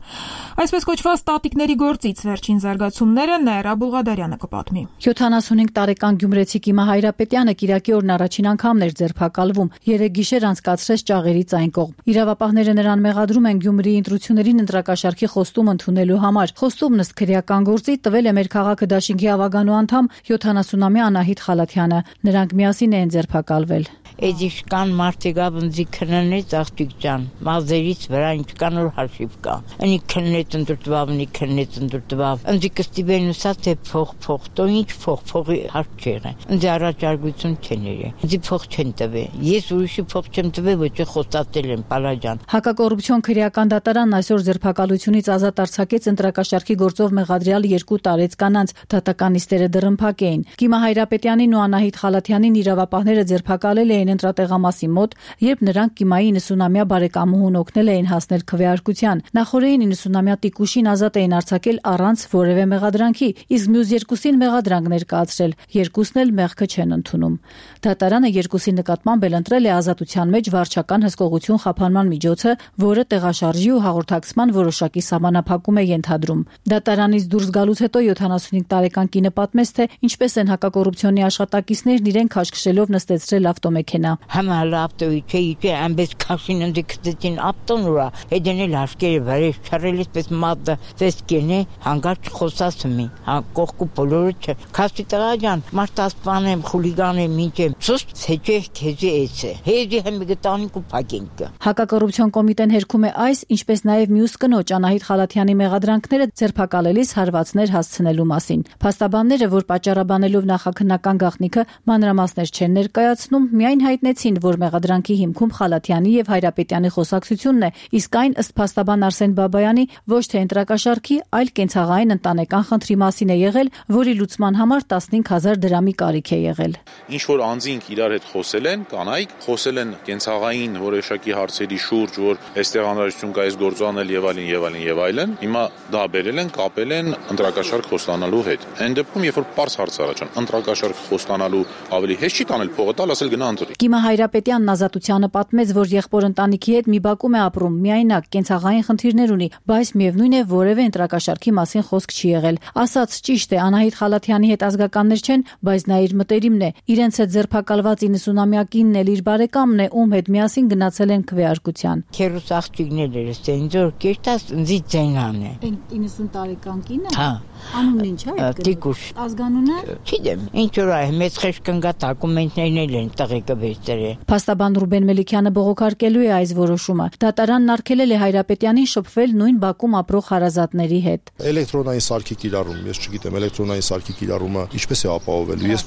Այսպես կոչված տատիկների գործից վերջին զարգացումները Նաիրա Բուլղադարյանը կպատմի։ յոթանասունհինգ տարեկան գյումրեցի Կիմա Հայրապետյանը Կիրակի օրն առաջին անգամն էր ձերբակալվում, երեք գիշեր անցկացրեց ճաղերից այն կողմ։ Իրավապահները նրան մեղադրում են Գյումրիի ընտրություններին ընտրակաշարքի խոստում ընդունելու համար։ Խոստումն ըստ քրեական գործի տվել է մեր քաղաքը դաշինքի ավագանու անդամ յոթանասունամյա Անահիտ Խալաթյանը։ Նրանք միասին են ձերբակալվել։ Էդիշկան մարդիկա բնձի քննեց աղջիկ ջան, մազերից վրա ինչքան որ հաշիվ կա։ Ընի քննեց ընդրտվավ, ընի քննեց ընդրտվավ։ Ընձի կստիբեն ուսա թե փող փող, տո ինչ փող, փողի հարց չեղը։ Ընձի առաջարկություն չեն երը։ Ընձի փող չեն տվե։ Ես ուրիշի փող չեմ տվե, ոչ է խոստացել եմ, պալաջան։ Հակակոռուպցիոն քրեական դատարանն այսօր ձերբակալությունից ազատ արձակեց ընտրակաշարքի գործով մեղադրյալ երկու տարեց կանանց, դատականիստերը դռնփակ էին։ Կիմա Հայրապետյանին ու Անահիտ Խալաթյանին իրավապահները ձերբակալել էին ընտրատեղամասի մոտ, երբ նրանք Կիմայի իննսունամյա բարեկամուհուն օգնել էին հասնել քվեարկության։ Նախորդին իննսունամյա տիկուշին ազատ էին արձակել առանց որևէ մեղադրանքի, իսկ մյուս երկուսին մեղադրանք ներկայացրել, երկուսն էլ մեղքը չեն ընդունում։ Դատարանը երկուսի նկատմամբ էլ ընտրել է ազատության մեջ վարչական հսկողություն խափանման միջոցը, որը տեղաշարժի ու հաղորդակցման որոշակի սահմանափակում է ենթադրում։ Դատարանից դուրս գալուց հետո յոթանասունհինգ տարեկան կինը պատմեց, թե ինչպես են հակակոռուպցիոնի աշխատակիցներն իրեն քաշքշելով նստեցրել ավտոմեքենա։ Համալ ավտոյի չէ, ամբես քաշին ընդ քծեցին ավտոն ուրա, հետենել հաշկերը վարել չարելից պես մատը տեսքենե հանգարց խոսացումի, հա կողքու բոլորը չէ։ Քաշի տղա ջան, մարտասպան եմ, խուլիգան եմ, ինչ եմ։ Սուստ ցեջե քեզի էցե։ Հեզի հմի գտանիկ ու փակինք։ Հակակոռուպցիոն կոմիտեն հերքում է այս, ինչպես նաև մյուս կնոջ Անահիտ Խալաթյանի մեղադրանքները ձերբակալելիս հարվածներ հասցնելու մասին։ Փաստաբանները, որ պատճառաբանելով նախաքննական գաղտնիքը մանրամասներ չեն ներկայացնում, միայն հայտնեցին, որ մեղադրանքի հիմքում Խալաթյանի եւ Հայրապետյանի խոսակցությունն է, իսկ այն ըստ փաստաբան Արսեն Բաբայանի ոչ թե ընտրակաշարքի, այլ կենցաղային ընտանեկան խնդրի մասին է եղել, որի լուծման համար տասնհինգ հազար դրամի կարիք է եղել։ Ինչ որ անձինք իրար հետ խոսել են, կանայք խոսել են կենցաղային որոշակի հարցերի շուրջ, որ այստեղ անհրաժեշտություն կա այս գործը անել եւ այլն եւ այլն եւ այլն, հիմա դա բերել են, կապել են ընտրակաշարք խոստանալու հետ։ Այն դեպքում, երբ որ པարզ հարց առաջան, ընտրակաշարք խոստանալու ավելի հեշտ չի տանել փողը տալ, ասել գնա ընտրի։ Կիմա Հայրապետյանն ազատությանը պատմեց, որ եղբոր ընտանիքի հետ մի բակում է ապրում, միայնակ կենցաղային խնդիրներ ունի, բայց միևնույն է որևէ ընտրակաշարքի մասին խոսք չի եղել։ Ասած ճիշտ է, Անահիտ Խալաթյանի հետ ազգականներ չեն, բայց նա իր մտերիմն է։ Իրենց հետ ձերբակալված իննսունամյա կինն էլ իր բարեկամն է, ում հետ միասին գնացել են քվեարկության։ Քերուս աղջիկներ էր, սենձոր կերտած ինձի ձենան է։ իննսուն տարեկան կինը։ Հա։ Անունն ինչ է այդ։ Տիկուշ։ Ազգանունը։ Չգիտեմ, ինչ որ է, մեծ խեշկնգա դոկումենտներն են տղեկը վերցրել։ Փաստաբան Ռուբեն Մելիքյանը բողոքարկելու է այս որոշումը։ Դատարանն արգելել է Հայրապետյանին շփվել նույն բակում ապրող հարազատների հետ։ Էլեկտրոնային սարքի կիրառում, ես չգիտեմ, էլեկտրոնային սարքի կիրառումը ինչպես է ապահովելու։ Ես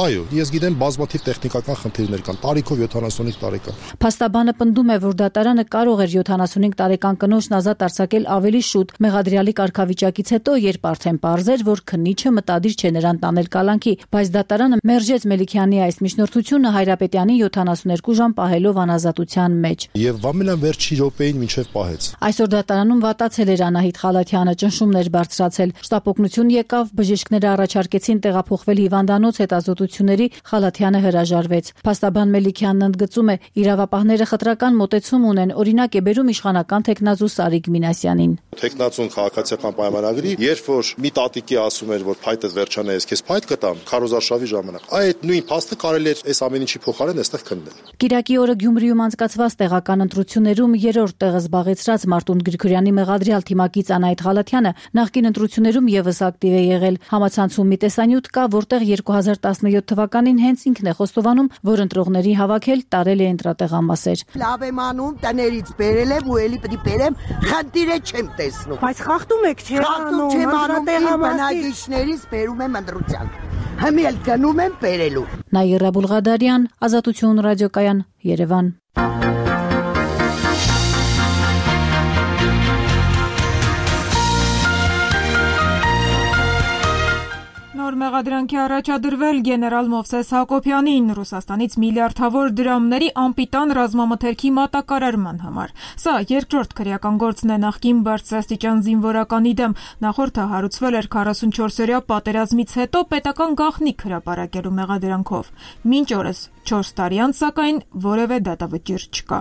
այո, ես գիտեմ բազմաթիվ տեխնիկական խնդիրներ կան, տարիքով յոթանասունհինգ տարեկան։ Փաստաբանը պնդում է, որ դատարանը կարող էր յոթանասունհինգ տարեկան կնոջն ազատ արձակել ավելի շուտ մեղադրյալի կարգավիճակից հետո, երբ արդեն պարզ էր, որ քննիչը մտադիր չէ նրան տանել կալանքի, բայց դատարանը մերժեց Մելիքյանի այս միջնորդությունը Հայրապետյանի յոթանասունհինգ ժամ պահելով անազատության մեջ։ Եվ ամենան վերջի րոպեին մինչև պահեց։ Այսօր դատարանում վատացել էր Անահիտ Խալաթյանը, ճնշումներ բարձրացել։ Շտապօգնություն եկավ, բժիշկները առաջարկեցին տեղափոխվել հիվանդանոց հետազոտությունների, Խալաթյանը հրաժարվեց։ Փաստաբան Մելիքյանն ընդգծում է, իրավապահները խտրական մոտեցում ունեն, օրինակ է բերում իշխանական տեխնազու Սարիկ Մինասյանին։ Տեխնազուն քաղաքացիական պայմանագրի, երբ որ մի տատիկի ասում էր, որ փայտը վերջանա, ես քեզ փայտ կտամ, քարոզարշավի ժամանակ, այդ նույն փաստը կարելի էր այս ամեն ինչի փոխարեն այստեղ քննել։ Կիրակի օրը Գյումրիում անցկացված տեղական ընտրություններում երրորդ տեղը զբաղեցրած Մարտուն Գրիգորյանի մեղադրյալ թիմակից Անահիտ Խալաթյանը նախկին ընտրություններում եւս ակտիվ է եղել։ Համացանցում մի տեսանյութ կա, որտեղ երկու հազար տասնյոթ թվականին հենց ինքն է խոստովանում, որ ընտրողների հավաքել տարել է ընտրատեղամասեր։ Լավ եմ անում, տներից բերել եմ ու էլի պետք է բերեմ, խնդիրը չեմ տեսնում։ Բայց խախտում եք, չէ՞։ Խախտում չեմ անում, բնակիչներից բերում եմ ընտրության։ Հիմա էլ գնում եմ բերելու։ Նաիրա Բուլղադարյան, Ազատություն ռադիոկայան, Երևան։ մեղադրանքի առաջադրվել գեներալ Մովսես Հակոբյանին Ռուսաստանից միլիարդավոր դրամների անպիտան ռազմամթերքի մատակարարման համար։ Սա երկրորդ քրեական գործն է նախկին բարձրաստիճան զինվորականի դեմ։ Նախորդը հարուցվել էր քառասունչորսօրյա պատերազմից հետո պետական գաղտնիք հրապարակելու մեղադրանքով։ Մինչ օրս չորս տարի անց, սակայն որևէ դատավճիռ չկա։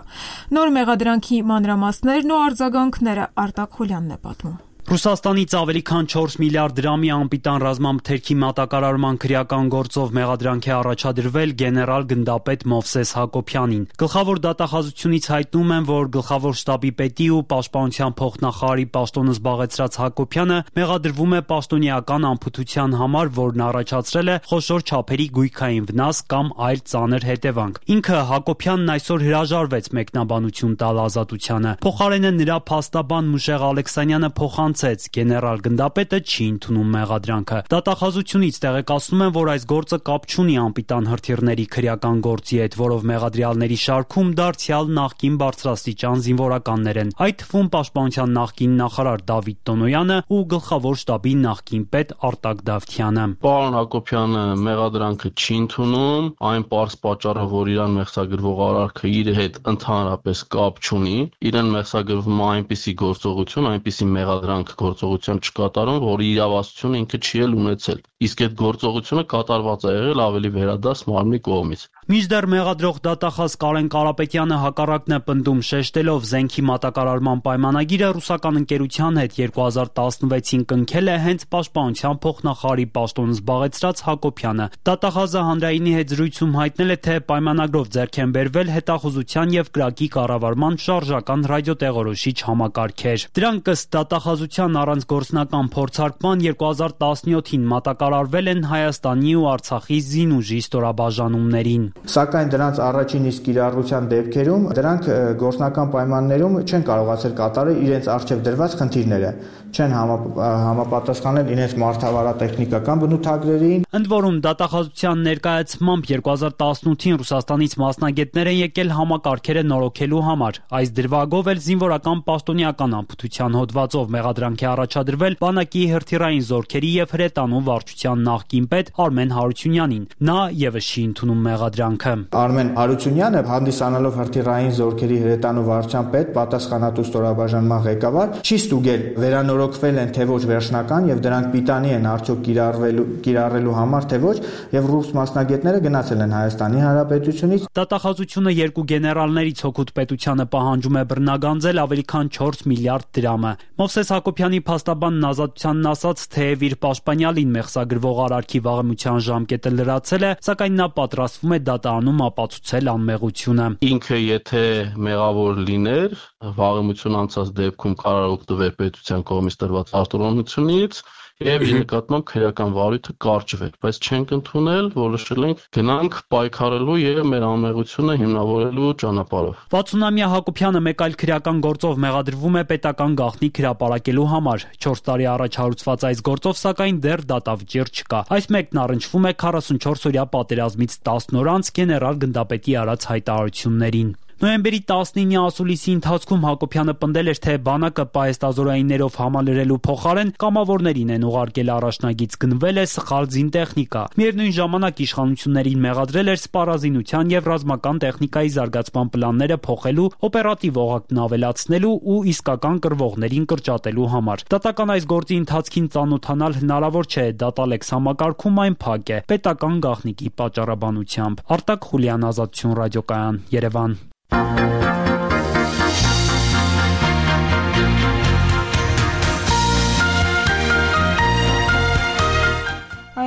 Նոր մեղադրանքի մանրամասներն ու արձագանքները Արտակ Խուլյանն է պատմում։ Ռուսաստանից ավելի քան չորս միլիարդ դրամի անպիտան ռազմամթերքի մատակարարման քրեական գործով մեղադրանք է առաջադրվել գեներալ գնդապետ Մովսես Հակոբյանին։ Գլխավոր դատախազությունից հայտնում են, որ գլխավոր շտաբի պետի ու պաշտպանության փոխնախարարի պաշտոնը զբաղեցրած Հակոբյանը մեղադրվում է պաշտոնեական անփութության համար, որն առաջացրել է խոշոր չափերի գույքային վնաս կամ այլ ծանր հետևանք։ Ինքը Հակոբյանն այսօր հրաժարվեց մեկնաբանություն տալ ազատությանը։ Փոխարենը նրա փաստաբան Մուշեղ Ալեքսանյանը փոխան Գեներալ գնդապետը չի ընդունում մեղադրանքը։ Դատախազությունից տեղեկացնում են, որ այս գործը կապ չունի անպիտան հրթիռների քրեական գործի հետ, որով մեղադրյալների շարքում դարձյալ նախկին բարձրաստիճան զինվորականներ են, այդ թվում պաշտպանության նախկին նախարար Դավիթ Տոնոյանը ու գլխավոր շտաբի նախկին պետ Արտակ Դավթյանը։ Պարոն Հակոբյանը մեղադրանքը չի ընդունում, այն պարզ պատճառը, որ իրան մեղսագրվող արարքը իր հետ ընդհանրապես կապ չունի, իրեն մեղսագրվում է այնպիսի գործողություն, այնպիսի մեղադրանք գործողության չկատարում, որի իրավասությունը ինքը չի էլ ունեցել։ Իսկ այդ գործողությունը կատարված է եղել ավելի վերադաս մարմնի կողմից։ Մինչդեռ մեղադրող դատախազ Կարեն Կարապետյանը հակառակն է պնդում, շեշտելով զենքի մատակարարման պայմանագիրը ռուսական ընկերության հետ երկու հազար տասնվեցին կնքել է հենց պաշտպանության փոխնախարարի պաշտոնը զբաղեցրած Հակոբյանը։ Դատախազը հանրայինի հետ զրույցում հայտնել է, թե պայմանագրով ձեռք են բերվել հետախուզության եւ կրակի կառավարման շարժական ռադիոտեղորոշիչ համակարգեր։ Դրանք ըստ դատախազության առանց գործնական փորձարկման երկու հազար տասնյոթին մատակարարվել են Հայաստանի ու Արցախի զինուժի ստորաբաժանումներին։ Սակայն դրանց առաջին իսկ կիրառության դեպքերում դրանք գործնական պայմաններում չեն կարողացել կատարել իրենց առջև դրված խնդիրները, չեն համապատասխանել իրենց մարդավարատեխնիկական բնութագրերին։ Ընդ որում դատախազության ներկայացմամբ երկու հազար տասնութին Ռուսաստանից մասնագետներ են եկել համակարգերը նորոգելու համար։ Այս դրվագով էլ զինվորական պաշտոնեական անփութության հոդվածով մեղադրանք է առաջադրվել բանակի հրթիռային զորքերի եւ հրետանու վարչության նախկին պետ Արմեն Հարությունյանին։ Նա եւս չի ընդունում մեղադրանքը։ Արմեն Հարությունյանը, հանդիսանալով հրթիռային զորքերի հրետանու վարչության պետ, պատասխանատու ստորաբաժանման ղեկավար, չի ստուգել վերանորոգվել են թե ոչ վերջնական եւ դրանք պիտանի են արդյոք կիրառվելու կիրառելու համար թե ոչ, եւ ռուս մասնագետները գնացել են Հայաստանի Հանրապետությունից։ Դատախազությունը երկու գեներալներից հօգուտ պետությանը պահանջում է բռնագանձել ավելի քան չորս միլիարդ դրամը։ Մովսես Հակոբյանի փաստաբանն ազատությանն ասաց, թեև իր պաշտպանյալին մեղսագրվող արարքի վաղեմության ժամկետը լրացել է, սակայն նա պատրաստվում է դատարանում ապացուցել անմեղությունը։ Ինքը եթե մեղավոր լիներ, վաղեմություն անցած դեպքում կարող օգտվել պետության կողմից տրված արտոնությունից եւ իր նկատմամբ քրեական վարույթը կարճվել, բայց չենք ընդունել, որոշել ենք գնանք պայքարելու եւ մեր անմեղությունը հիմնավորելու ճանապարհով։ վաթսունամյա Հակոբյանը մեկ այլ քրեական գործով մեղադրվում է պետական գաղտնիք հրապարակելու համար։ չորս տարի առաջ հարուցված այս գործով սակայն դեռ դատավճիռ չկա։ Այս մեկն առնչվում է քառասունչորսօրյա պատերազմից տասն օր անց գեներալ գնդապետի արած հայտարարություններին։ Նոյեմբերի տասնինը ասուլիսի ընթացքում Հակոբյանը պնդել էր, թե բանակը պահեստազորայիններով համալրելու փոխարեն կամավորներին են ուղարկել առաջնագից, գնվել է սխալ զինտեխնիկա։ Միևնույն ժամանակ իշխանություններին մեղադրել էր սպառազինության եւ ռազմական տեխնիկայի զարգացման պլանները փոխելու, օպերատիվ օղակն ավելացնելու ու իսկական կռվողներին կրճատելու համար։ Դատական այս գործի ընթացքին ծանոթանալ հնարավոր չէ, դատալեքս համակարգում այն փակ է պետական գաղտնիքի պատճառաբանությամբ։ Արտակ Խուլյան, Ազատություն ռադիոկայան, Երևան։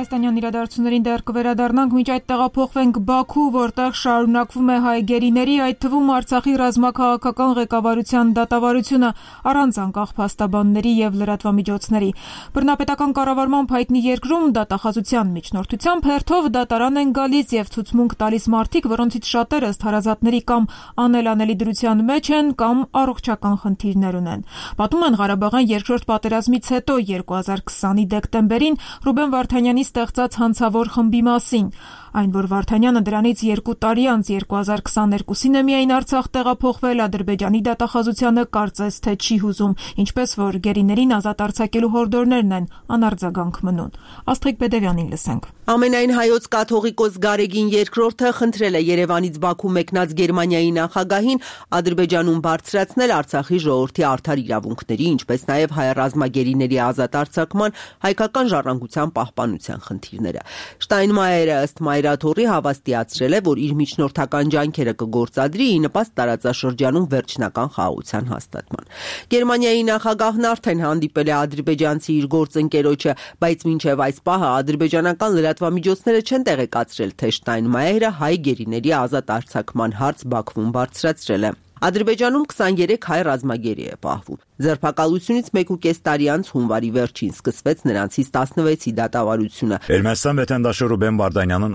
Հայաստանյան իրադարձություններին դեռ կվերադառնանք, մինչ այդ տեղափոխվենք Բաքու, որտեղ շարունակվում է հայ գերիների, այդ թվում Արցախի ռազմաքաղաքական ղեկավարության դատավարությունը առանց անկախ փաստաբանների եւ լրատվամիջոցների։ Բռնապետական կառավարման հայտնի երկրում դատախազության միջնորդությամբ հերթով դատարան են գալիս եւ ցուցմունք տալիս մարդիկ, որոնցից շատերը ըստ հարազատների կամ անելանելի դրության մեջ են կամ առողջական խնդիրներ ունեն։ Պատմում են Ղարաբաղյան երկրորդ պատերազմից հետո երկու հազար քսանի դեկտեմբերին Ռուբեն Վարդանյանի ստեղծած հանցավոր խմբի մասին։ Այն, որ Վարդանյանը դրանից երկու տարի անց երկու հազար քսաներկուսին է միայն Արցախ տեղափոխվել, Ադրբեջանի դատախազությանը կարծես թե չի հուզում, ինչպես որ գերիներին ազատ արձակելու հորդորներն են անարձագանք մնում։ Աստղիկ Բեդևյանին լսենք։ Ամենայն հայոց կաթողիկոս Գարեգին երկրորդը խնդրել է Երևանից Բաքու մեկնած Գերմանիայի նախագահին Ադրբեջանում բարձրացնել Արցախի ժողովրդի արդար իրավունքների, ինչպես նաև հայառազմագերիների ազատ արձակման, հայկական ժառանգության պահպանության խնդիրները։ Շտայնմայերը ըստ Մայրաթորի հավաստիացրել է, որ իր միջնորդական ջանքերը կգործադրի ի նպաստ տարածաշրջանում վերջնական խաղաղության հաստատման։ Գերմանիայի նախագահն արդեն հանդիպել է ադրբեջանցի իր գործընկերոջը, բայց մինչև այս պահը ադրբեջանական լրատվամիջոցները չեն տեղեկացրել, թե Շտայնմայերը հայ գերիների ազատ արձակման հարց Բաքվում բարձրացրել է։ Ադրբեջանում քսաներեք հայ ռազմագերի է պահվում։ Ձերբակալությունից մեկ ու կես տարի անց հունվարի վերջին սկսվեց նրանցից տասնվեցի դատավարությունը։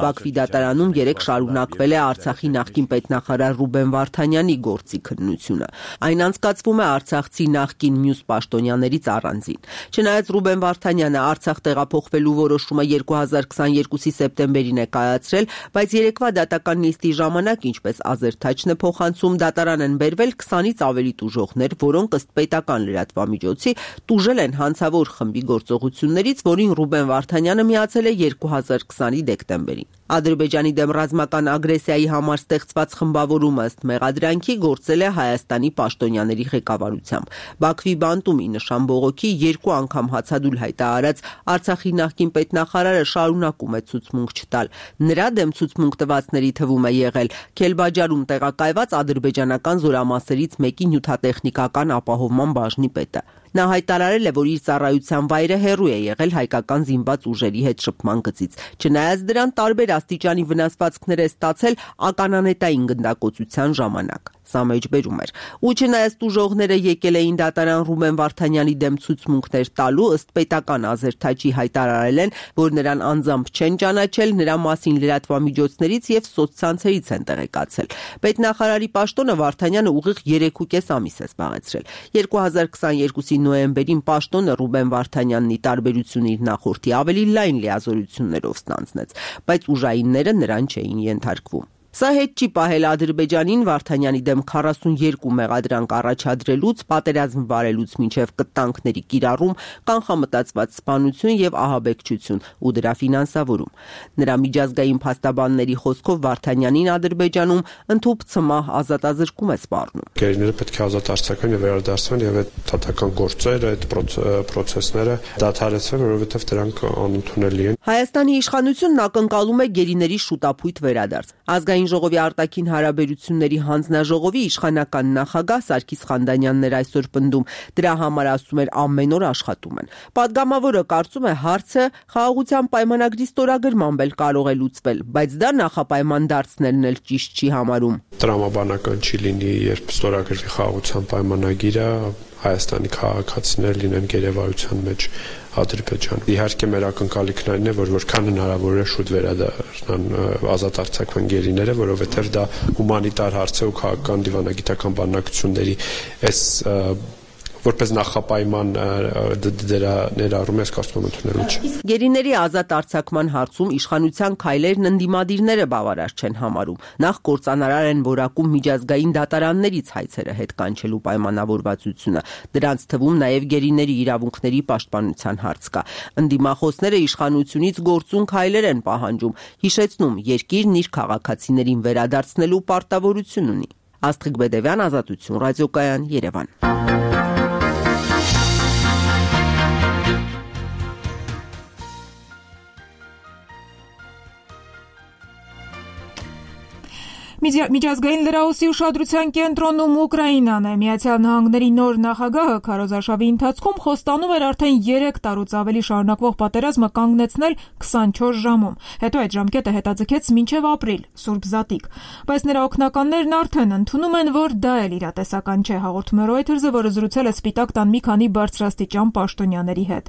Բաքվի դատարանում երեք շարունակվել է Արցախի նախկին պետնախարար Ռուբեն Վարդանյանի գործի քննությունը։ Այն անցկացվում է արցախցի նախկին մյուս պաշտոնյաներից առանձին։ Չնայած Ռուբեն Վարդանյանը Արցախ տեղափոխվելու որոշումը երկու հազար քսաներկուսի սեպտեմբերին է կայացրել, բայց երեկվա դատական նիստի ժամանակ, ինչպես Ազերթաչն է փոխանցում, դատարան են բերվել քսանից ավելի տուժողներ, որոնք ըստ պետական լրատվամիջոցի տուժել են հանցավոր խմբի գործողություններից, որին Ռուբեն Վարդանյանը միացել է երկու հազար քսանի դեկտեմբերին։ Ադրբեջանի դեմ ռազմական ագրեսիայի համար ստեղծված խմբավորումը ըստ մեղադրանքի գործել է Հայաստանի պաշտոնյաների ղեկավարությամբ։ Բաքվի բանտում ի նշան բողոքի երկու անգամ հացադուլ հայտարարած Արցախի նախկին պետնախարարը շարունակում է ցուցմունք չտալ։ Նրա դեմ ցուցմունք տվածների թվում է եղել Քելբաջարում տեղակայված ադրբեջանական զորամասերից մեկի նյութատեխնիկական ապահովման բաժնի պետը։ Նա հայտարարել է, որ իր ծառայության վայրը հեռու է եղել հայկական զինված ուժերի հետ շփման գծից։ Չնայած դրան տարբեր աստիճանի վնասվածքներ է ստացել ականանետային գնդակոծության ժամանակ։ Սա մեջբերում էր։ Ու չնայած տուժողները եկել էին դատարան Ռուբեն Վարդանյանի դեմ ցուցմունքներ տալու, ըստ պետական Ազերթաչի հայտարարել են, որ նրան անձամբ չեն ճանաչել, նրա մասին լրատվամիջոցներից եւ սոցցանցերից են տեղեկացել։ Պետնախարարի պաշտոնը Վարդանյանը ուղիղ երեք ու կես ամիս է զբաղեցրել։ երկու հազար քսաներկուսի նոյեմբերին պաշտոնը Ռուբեն Վարդանյանն ի տարբերություն իր նախորդի ավելի լայն լիազորություններով ստանձնեց, բայց ուժայինները նրան չէին ենթարկվում։ Սա հետ չի պահել Ադրբեջանին Վարդանյանի դեմ քառասունյոթ մեղադրանք առաջադրելուց, պատերազմ վարելուց մինչև կտանքների կիրառում, կանխամտածված սպանություն եւ ահաբեկչություն ու դրա ֆինանսավորում։ Նրա միջազգային փաստաբանների խոսքով Վարդանյանին Ադրբեջանում ընդհուպ ցմահ ազատազրկում է սպառնում։ Գերիները պետք է ազատ արձակվեն եւ վերադարձվեն եւ այդ դատական գործերը, այդ պրոցեսները դադարեցվեն, որովհետեւ դրանք անընդունելի են։ Հայաստանի իշխանությունն ակնկալում է գերիների շուտապույտ վերադարձ։ Ազգային ժողովի արտաքին հարաբերությունների հանձնաժողովի իշխանական նախագահ Սարգիս Խանդանյանն էր այսօր պնդում, դրա համար ասում էր ամեն օր աշխատում են։ Պատգամավորը կարծում է հարցը խաղաղության պայմանագրի ստորագրմամբ էլ կարող է լուծվել, բայց դա նախապայման դարձնելն էլ ճիշտ չի համարում։ Տրամաբանական չի լինի, երբ ստորագրվի խաղաղության պայմանագիրը, Հայաստանի քաղաքացիներ լինեն գերեվարության մեջ Ադրբեջան։ Իհարկե մեր ակնկալիքն այն է, որ որքան հնարավոր է շուտ վերադառնան ազատ արձակվեն գերիները, որովհետև դա հումանիտար հարց է ու քաղաքական դիվանագիտական բանակցությունների այս որպես նախապայման դրա ներառում ես կարծում եմ ընդունելու չէ։ Գերիների ազատ արձակման հարցում իշխանության քայլերն ընդդիմադիրները բավարար չեն համարում։ Նախ կործանարար են որակում միջազգային դատարաններից հայցերը հետ կանչելու պայմանավորվածությունը։ Դրանց թվում նաև գերիների իրավունքների պաշտպանության հարց կա։ Ընդդիմախոսները իշխանությունից գործուն քայլեր են պահանջում, հիշեցնում, երկիրն իր քաղաքացիներին վերադարձնելու պարտավորություն ունի։ Աստղիկ Բեդևյան, Ազատություն, ռադիոկայան, Երևան։ Միջազգային լրահոսի ուշադրության կենտրոնում Ուկրաինան է։ Միացյալ Նահանգների նոր նախագահը քարոզարշավի ընթացքում խոստանում էր արդեն երեք տարուց ավելի շարունակվող պատերազմը կանգնեցնել քսանչորս ժամում։ Հետո այդ ժամկետը հետաձգեց մինչև ապրիլ, Սուրբ Զատիկ։ Բայց նրա օգնականներն արդեն ընդունում են, որ դա էլ իրատեսական չէ, հաղորդում է Reuters-ը, որը զրուցել է Սպիտակ տան մի քանի բարձրաստիճան պաշտոնյաների հետ։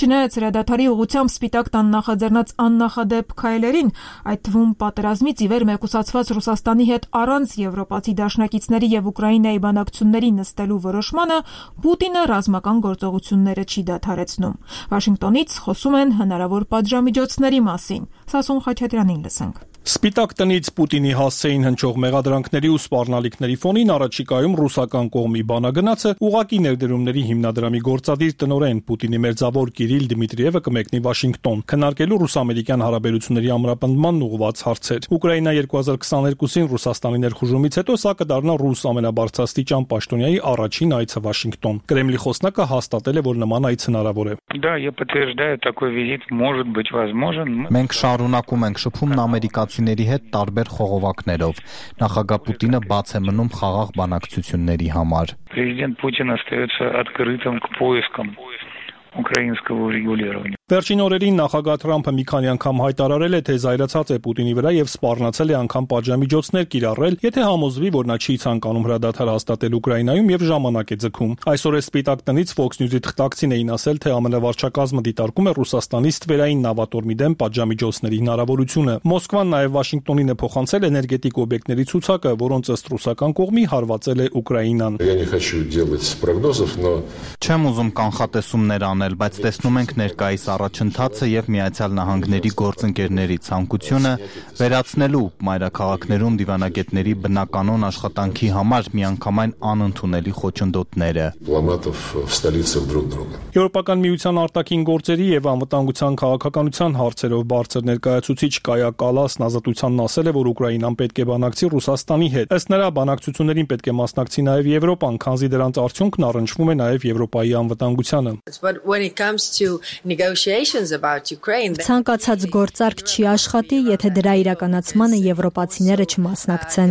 Չնայած հրադադարի ուղղությամբ Սպիտակ տան նախաձեռնած աննախադեպ քայլերին, այդ թվում պատերազմից ի վեր մեկուսացված Ռուսաստանի հետ առանց եվրոպացի դաշնակիցների եւ Ուկրաինայի բանակցությունների նստելու որոշմանը, Պուտինը ռազմական գործողությունները չի դադարեցնում։ Վաշինգտոնից խոսում են հնարավոր պատժամիջոցների մասին։ Սասուն Խաչատրյանին լսենք։ Սպիտակ տնից Պուտինի հասցեին հնչող մեղադրանքների ու սպառնալիքների ֆոնին առաջիկայում ռուսական կողմի բանագնացը ուղակի ներդրումների հիմնադրամի գործադիր տնօրեն Պուտինի մերձավոր Կիրիլ Դիմիտրիևը կմեկնի Վաշինգտոն, քննարկելու ռուս-ամերիկյան հարաբերությունների ամրապնդմանն ուղղված հարցեր։ Ուկրաինա երկու հազար քսաներկուսին Ռուսաստանի ներխուժումից հետո սա կդառնա ռուս ամենաբարձրաստիճան պաշտոնյայի առաջին այցը Վաշինգտոն։ Կրեմլի խոսնակը հաստատել է, որ նման այց հնարավոր է։ Да, я подтверждаю, такой визит может быть возможен. Մենք շարունակում ենք շփումն ամերիկացիների հետ տարբեր խողովակներով։ Նախագահ Պուտինը բաց է մնում խաղաղ բանակցությունների համար։ Президент Путин остается открытым к поискам украинского урегулирования. Վերջին օրերին նախագահ Թրամփը մի քանի անգամ հայտարարել է, թե զայրացած է Պուտինի վրա եւ սպառնացել է անգամ պատժամիջոցներ կիրառել, եթե համոզվի, որ նա չի ցանկանում հրադադար հաստատել Ուկրաինայում եւ ժամանակ է ձգում։ Այսօր է Սպիտակ տնից Fox News-ի թղթակցին էին ասել, թե ամենավարչակազմը դիտարկում է Ռուսաստանի ստվերային նավատորմի դեմ պատժամիջոցների հնարավորությունը։ Մոսկվան նաեւ Վաշինգտոնին է փոխանցել էներգետիկ օբյեկտների ցուցակը, որոնց ըստ ռուսական կողմի հարվածել է Ուկրաինան։ Я не хочу делать прогнозов, но Չեմ ուզում կանխատեսումներ անել, բայց տեսնում ենք ներկայիս առաջընթացը եւ Միացյալ Նահանգների գործընկերների ցանկությունը վերացնելու մայրաքաղաքներում դիվանագետների բնականon աշխատանքի համար միանգամայն անընդունելի խոչընդոտները։ Եվրոպական միության արտաքին գործերի եւ անվտանգության քաղաքականության հարցերով բարձր ներկայացուցիչ Կայա Կալասն ազատությանն ասել է, որ Ուկրաինան պետք է բանակցի Ռուսաստանի հետ։ Ըստ նրա, բանակցություններին պետք է մասնակցի նաեւ Եվրոպան, քանզի դրանց արդյունքն առնչվում է նաեւ Եվրոպայի անվտանգությանը։ Ցանկացած գործարք չի աշխատի, եթե դրա իրականացմանը եվրոպացիները չմասնակցեն։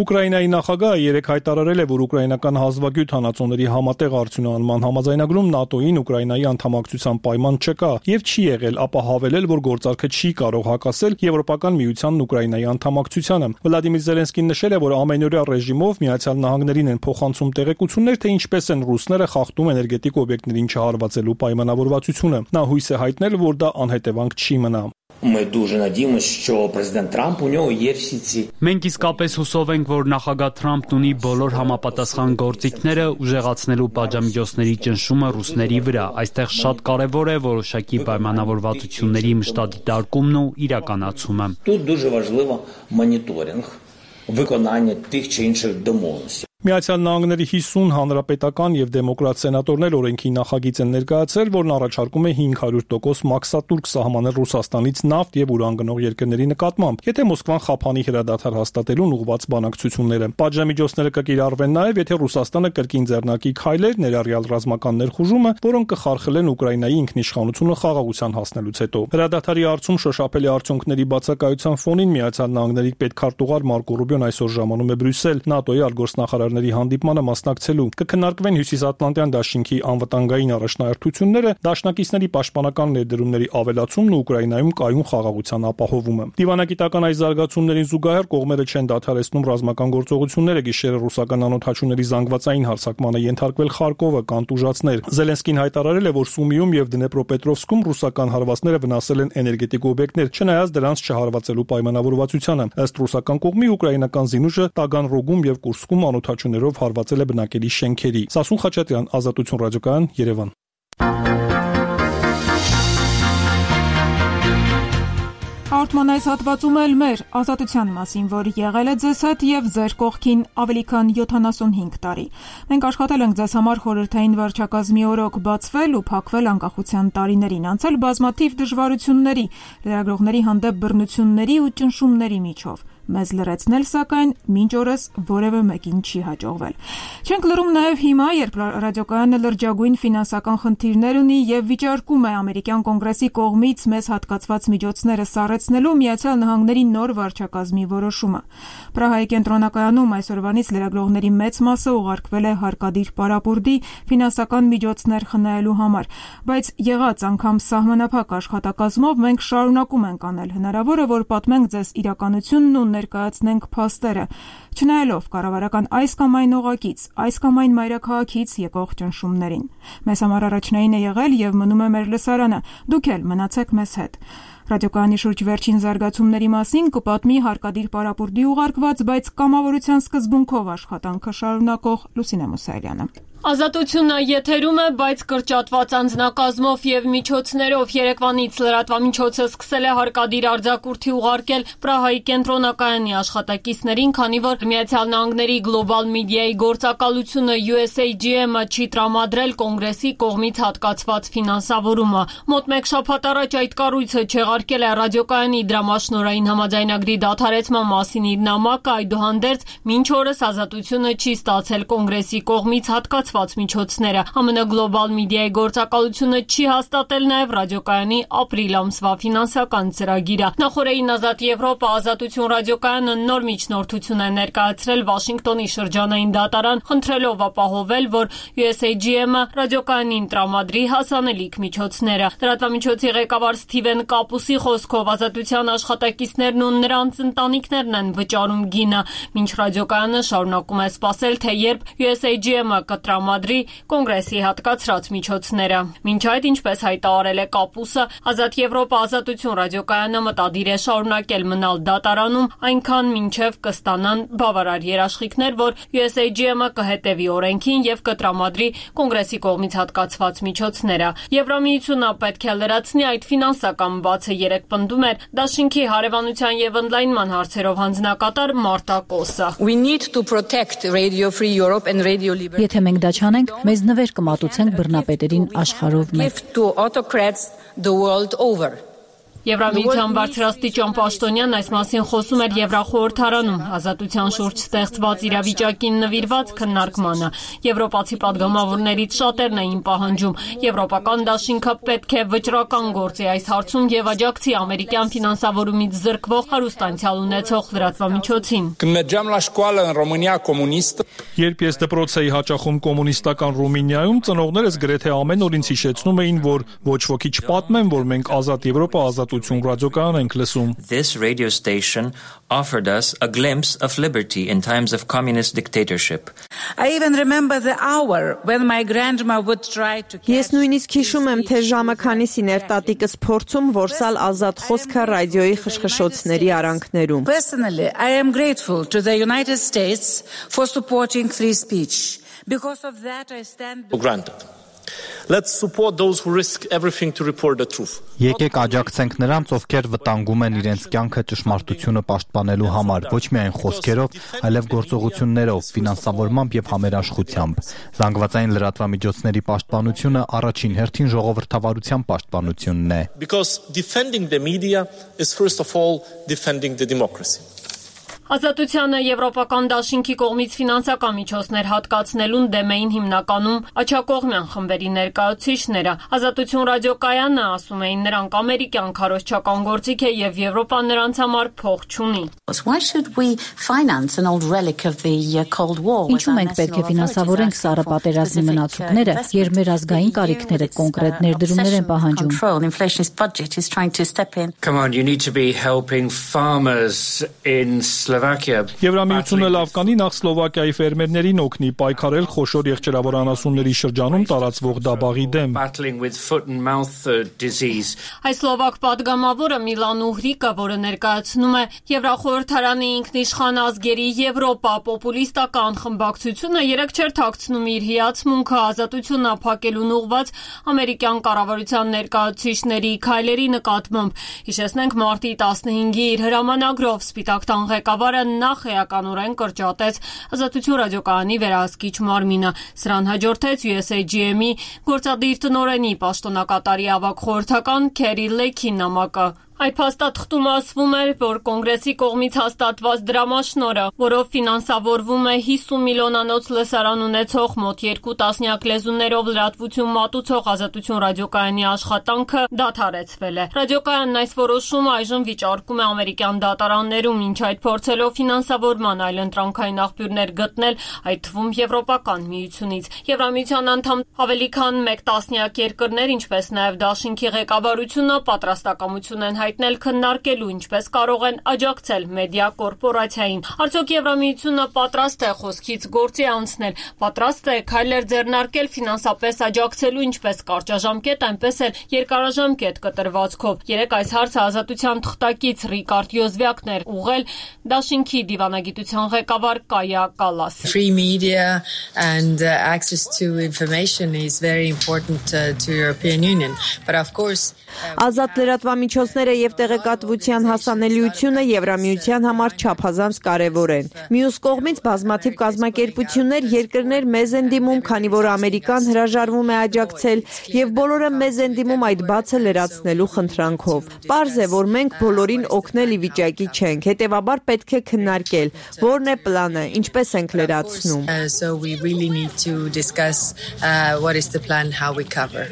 Ուկրաինայի նախագահը երեկ հայտարարել է, որ ուկրաինական հազվագյուտ հանածոների համատեղ արդյունահանման համաձայնագրում ՆԱՏՕ-ին Ուկրաինայի անդամակցության պայման չկա եւ չի եղել, ապա հավելել, որ գործարքը չի կարող հակասել Եվրոպական միությանն Ուկրաինայի անդամակցությանը։ Վլադիմիր Զելենսկին նշել է, որ ամենօրյա ռեժիմով Միացյալ Նահանգներին են փոխանցում տեղեկություններ, թե ինչպես են ռուսները խախտում էներգետիկ օբյեկտներին չհարվածելու պայմանավորվածությունը։ Նա հույս է հայտնել, որ դա անհետևանք չի մնա։ Ми дуже надіємося, що президент Трамп у нього є всі ці. Մենք իսկապես հուսով ենք, որ նախագահ Թրամփն ունի բոլոր համապատասխան գործիքները ուժեղացնելու պատժամիջոցների ճնշումը ռուսների վրա։ Այստեղ շատ կարևոր է որոշակի պայմանավորվածությունների մշտադիտարկումն ու իրականացումը։ Тут дуже важливо моніторинг виконання тих чи інших домовленостей. Միացյալ Նահանգների հիսուն հանրապետական եւ դեմոկրատ սենատորներ օրենքի նախագիծ են ներկայացրել, որն առաջարկում է հինգ հարյուր տոկոս մաքսատուրք սահմանել Ռուսաստանից նավթ եւ ուրան գնող երկրների նկատմամբ, եթե Մոսկվան խափանի հրադադար հաստատելուն ուղղված բանակցությունները։ Պատժամիջոցները կկիրառվեն նաեւ, եթե Ռուսաստանը կրկին ձեռնարկի քայլեր, ներառյալ ռազմական ներխուժումը, որոնք կխարխլեն Ուկրաինայի ինքնիշխանությունը խաղաղության հասնելուց հետո։ Հրադադարի հարցում շոշափելի արդյունքների բացակայության ֆոնին Միացյալ Նահանգների պետքարտուղար Մարկո Ռուբիոն այսօր ժամանում է Բրյուսել ՆԱՏՕ-ի արտգործնախարար հանդիպմանը մասնակցելու կքննարկվեն Հյուսիսատլանտյան դաշինքի անվտանգային առաջնահերթությունները, դաշնակիցների պաշտպանական ներդրումների ավելացումն ու Ուկրաինայում կայուն խաղաղության ապահովումը։ Դիվանագիտական այս զարգացումներին զուգահեռ կողմերը չեն դադարեցնում ռազմական գործողությունները, գիշերը ռուսական անօդաչուների զանգվածային հարձակմանը ենթարկվել Խարկովը կանտուժացներ։ Զելենսկին հայտարարել է, որ Սումիում եւ Դնեպրոպետրովսկում ռուսական հարվածները վնասել են էներգետիկ օբյեկտներ, չնայած դրանց չհարվածելու պայմանավորվածությանը։ Ըստ ռուսական կողմի ուկրաինական զինուժը Տագանրոգում եւ Կուրսկում անօդաչուներով հարվածել է բնակելի շենքերի։ Սասուն Խաչատրյան, Ազատություն ռադիոկայան, Երևան։ Արտման այս հատվածում էլ մեր ազատության մասին, որ եղել է ձեզ հետ եւ ձեր կողքին ավելի քան յոթանասունհինգ տարի։ Մենք աշխատել ենք ձեզ համար խորհրդային վարչակազմի օրոք բացվել ու փակվել անկախության տարիներին, անցել բազմաթիվ դժվարությունների, լրագրողների հանդեպ բռնությունների ու ճնշումների միջով։ Մեզ լրացնել, սակայն մինչ օրս որևէ մեկին չի հաջողվել։ Չենք լրում նաև հիմա, երբ ռադիոկայանը լրջագույն ֆինանսական խնդիրներ ունի եւ վիճարկում է ամերիկյան կոնգրեսի կողմից մեզ հատկացված միջոցները սառեցնելու Միացյալ Նահանգների նոր վարչակազմի որոշումը։ Պրահայի կենտրոնակայանում այսօրվանից լրագրողների մեծ մասը ուղարկվել է հարկադիր պարապուրդի ֆինանսական միջոցներ խնայելու համար, բայց եղած անգամ սահմանափակ աշխատակազմով մենք շարունակում ենք անել հնարավորը, որ պատմենք ձեզ իրականությունն ու ներկայացնենք փաստերը, չնայելով կառավարական այս կամ այն օղակից, այս կամ այն մայրաքաղաքից եկող ճնշումներին։ Մեզ համար առաջնային է եղել եւ մնում է մեր լսարանը։ Դուք էլ մնացեք մեզ հետ։ Ռադիոկայանի շուրջ վերջին զարգացումների մասին կպատմի Հարկադիր պարապուրդի ուղարկված, բայց կամավորության սկզբունքով աշխատանքը շարունակող Լուսինե Մուսայելյանը։ Ազատությունը եթերում է, բայց կրճատված անձնակազմով եւ միջոցներով երեկվանից լրատվամիջոցը սկսել է հարկադիր արձակուրդի ուղարկել Պրահայի կենտրոնակայանի աշխատակիցներին, քանի որ Միացյալ Նահանգների գլոբալ մեդիայի գործակալությունը յու էս էյ ջի էմ-ը չի տրամադրել կոնգրեսի կողմից հատկացված ֆինանսավորումը։ Մոտ մեկ շաբաթ առաջ այդ կառույցը չեղարկել է ռադիոկայանի դրամաշնորհային համաձայնագրի դադարեցման մասին իր նամակը, այդուհանդերձ մինչ օրս Ազատությունը չի ստացել կոնգրեսի կողմից հատկացված միջոցները։ Ամն գլոբալ մեդիայի գործակալությունը չի հաստատել նաև ռադիոկայանի ապրիլ ամսվա ֆինանսական ծրագիրը։ Նախորդին Ազատ Եվրոպա Ազատություն ռադիոկայանը նոր միջնորդություն է ներկայացրել Վաշինգտոնի շրջանային դատարան, խնդրելով ապահովել, որ յու էս էյ ջի էմ-ը ռադիոկայանին տրամադրի հասանելիք միջոցները։ Լրատվամիջոցի ղեկավար Սթիվեն Կապուսի խոսքով Ազատության աշխատակիցներն ու նրանց ընտանիքներն են վճարում գինը, մինչ ռադիոկայանը շարունակում է սպասել, թե երբ յու էս էյ ջի էմ-ը կտրամադրի կոնգրեսի հատկացրած միջոցները։ Մինչ այդ, ինչպես հայտարարել է Կապուսը, Ազատ Եվրոպա Ազատություն ռադիոկայանը մտադիր է շարունակել մնալ դատարանում, այնքան մինչև կստանան բավարար երաշխիքներ, որ յու էս էյ ջի էմ-ը կհետևի օրենքին եւ կտրամադրի կոնգրեսի կողմից հատկացված միջոցները։ Եվրամիությունը պետք է լրացնի այդ ֆինանսական բացը, երեք պնդում էր Դաշինքի հարևանության եւ ընդլայնման հարցերով հանձնակատար Մարտա Կոսը։ We need to protect Radio Free Europe and Radio Liberty. Եթե մենք դա չանենք, մեզ նվեր կմատուցենք բռնապետերին աշխարհով մեկ։ To autocrats the world over. Եվրամիության բարձրաստիճան պաշտոնյան այս մասին խոսում էր Եվրախորհրդարանում Ազատության շուրջ ստեղծված իրավիճակին նվիրված քննարկմանը։ Եվրոպացի падգամավորներից շատերն էին պահանջում Եվրոպական դաշինքը պետք է վճռական գործի այս հարցում եւ աջակցի ամերիկյան ֆինանսավորումից զրկվող հարուստանցիալ ունեցող լրատվամիջոցին։ Când la școală în România comunistă. Երբ ես դպրոց էի հաճախում կոմունիստական Ռումինիայում, ծնողներս գրեթե ամեն օր ինձ հիշեցնում էին, որ ոչ ոքի չպատմեն, որ մենք Ազատ Եվրոպա Ազատություն ռադիոկայան ենք լսում։ This radio station offered us a glimpse of liberty in times of communist dictatorship. I even remember the hour when my grandma would try to catch. Ես նույնիսկ հիշում եմ, թե ժամը քանիսին էր տատիկս փորձում որսալ ազատ խոսքը ռադիոյի խշխշոցների արանքներում։ Personally, I am grateful to the United States for supporting free speech. Because of that I stand for granted. Let's support those who risk everything to report the truth. Եկեք աջակցենք նրանց, ովքեր վտանգում են իրենց կյանքը ճշմարտությունը պաշտպանելու համար, ոչ միայն խոսքերով, այլև գործողություններով, ֆինանսավորմամբ եւ համերաշխությամբ։ Զանգվածային լրատվամիջոցների պաշտպանությունը առաջին հերթին ժողովրդավարության պաշտպանությունն է։ Because defending the media is first of all defending the democracy. Ազատությանը Եվրոպական դաշինքի կողմից ֆինանսական միջոցներ հատկացնելուն դեմ էին հիմնականում աջակողմյան խմբերի ներկայացուցիչները։ Ազատություն ռադիոկայանը ասում էին նրանք ամերիկյան քարոզչական գործիք է եւ Եվրոպան նրանց համար փող չունի։ Why should we finance an old relic of the Cold War? Ինչու մենք պետք է ֆինանսավորենք սառը պատերազմի մնացորդները, երբ մեր ազգային կարիքները կոնկրետ ներդրումներ են պահանջում։ Inflationist budget is trying to step in. Come on, you need to be helping farmers in Եվրամիությունը լավ կանի նախ Սլովակիայի ֆերմերներին օգնի պայքարել խոշոր եղջերավոր անասունների շրջանում տարածվող դաբաղի դեմ։ Այս սլովակ պատգամավորը Միլան Ուհրիկը, որը ներկայացնում է Եվրախորհրդարանի ինքնիշխան ազգերի Եվրոպա պոպուլիստական խմբակցությունը, երեք չէր թաքցնում իր հիացմունքը ազատությունն ապահովելուն ուղղված ամերիկյան կառավարության ներկայացուցիչների քայլերի նկատմամբ։ Հիշեցնենք մարտի տասնհինգի իր հրամանագրով Սպիտակ տան ղեկավարը նախ էականորեն կրճատեց Ազատություն ռադիոկայանի վերահսկիչ մարմինը։ Սրան հաջորդեց յու էս էյ ջի էմ-ի գործադիր տնօրենի պաշտոնակատարի ավագ խորհրդական Քերի Լեքի նամակը։ Այդ փաստաթղթում ասվում էր, որ կոնգրեսի կողմից հաստատված դրամաշնորհը, որով ֆինանսավորվում է հիսուն միլիոնանոց լսարան ունեցող մոտ երկու տասնյակ լեզուներով լրատվություն մատուցող Ազատություն ռադիոկայանի աշխատանքը դադարեցվել է։ Ռադիոկայանն այս որոշումը այժմ վիճարկում է ամերիկյան դատարաններում, ինչ այդ փորձելով ֆինանսավորման այլընտրանքային աղբյուրներ գտնել, այդ թվում Եվրոպական միությունից։ Եվրամիության անդամ ավելի քան մեկ տասնյակ երկրներ, ինչպես նաև Դաշինքի ղեկավարությունը պատրաստակամություն են հայտնել հայտնել քննարկելու ինչպես կարող են աջակցել մեդիա կորպորացիային։ Արդյոք Եվրամիությունը պատրաստ է խոսքից գործի անցնել, պատրաստ է քայլեր ձեռնարկել ֆինանսապես աջակցելու ինչպես կարճաժամկետ, այնպես էլ երկարաժամկետ կտրվածքով։ Երեք այս հարցը Ազատության թղթակից Ռիկարդ Յոզվյակն էր ուղղել Դաշինքի դիվանագիտության ղեկավար Կայա Կալաս։ Free media and uh, access to information is very important uh, to European Union, but of course Ազատ լրատվամիջոցները եւ տեղեկատվության հասանելիությունը Եվրամիության համար չափազանց կարեւոր են։ Մյուս կողմից բազմաթիվ կազմակերպություններ, երկրներ մեզ են դիմում, քանի որ Ամերիկան հրաժարվում է աջակցել եւ բոլորը մեզ են դիմում այդ բացը լրացնելու խնդրանքով։ Պարզ է, որ մենք բոլորին օգնել ի վիճակի չենք, հետեւաբար պետք է քննարկել, որն է պլանը, ինչպես ենք լրացնում։ So we really need to discuss uh, what is the plan, how we cover.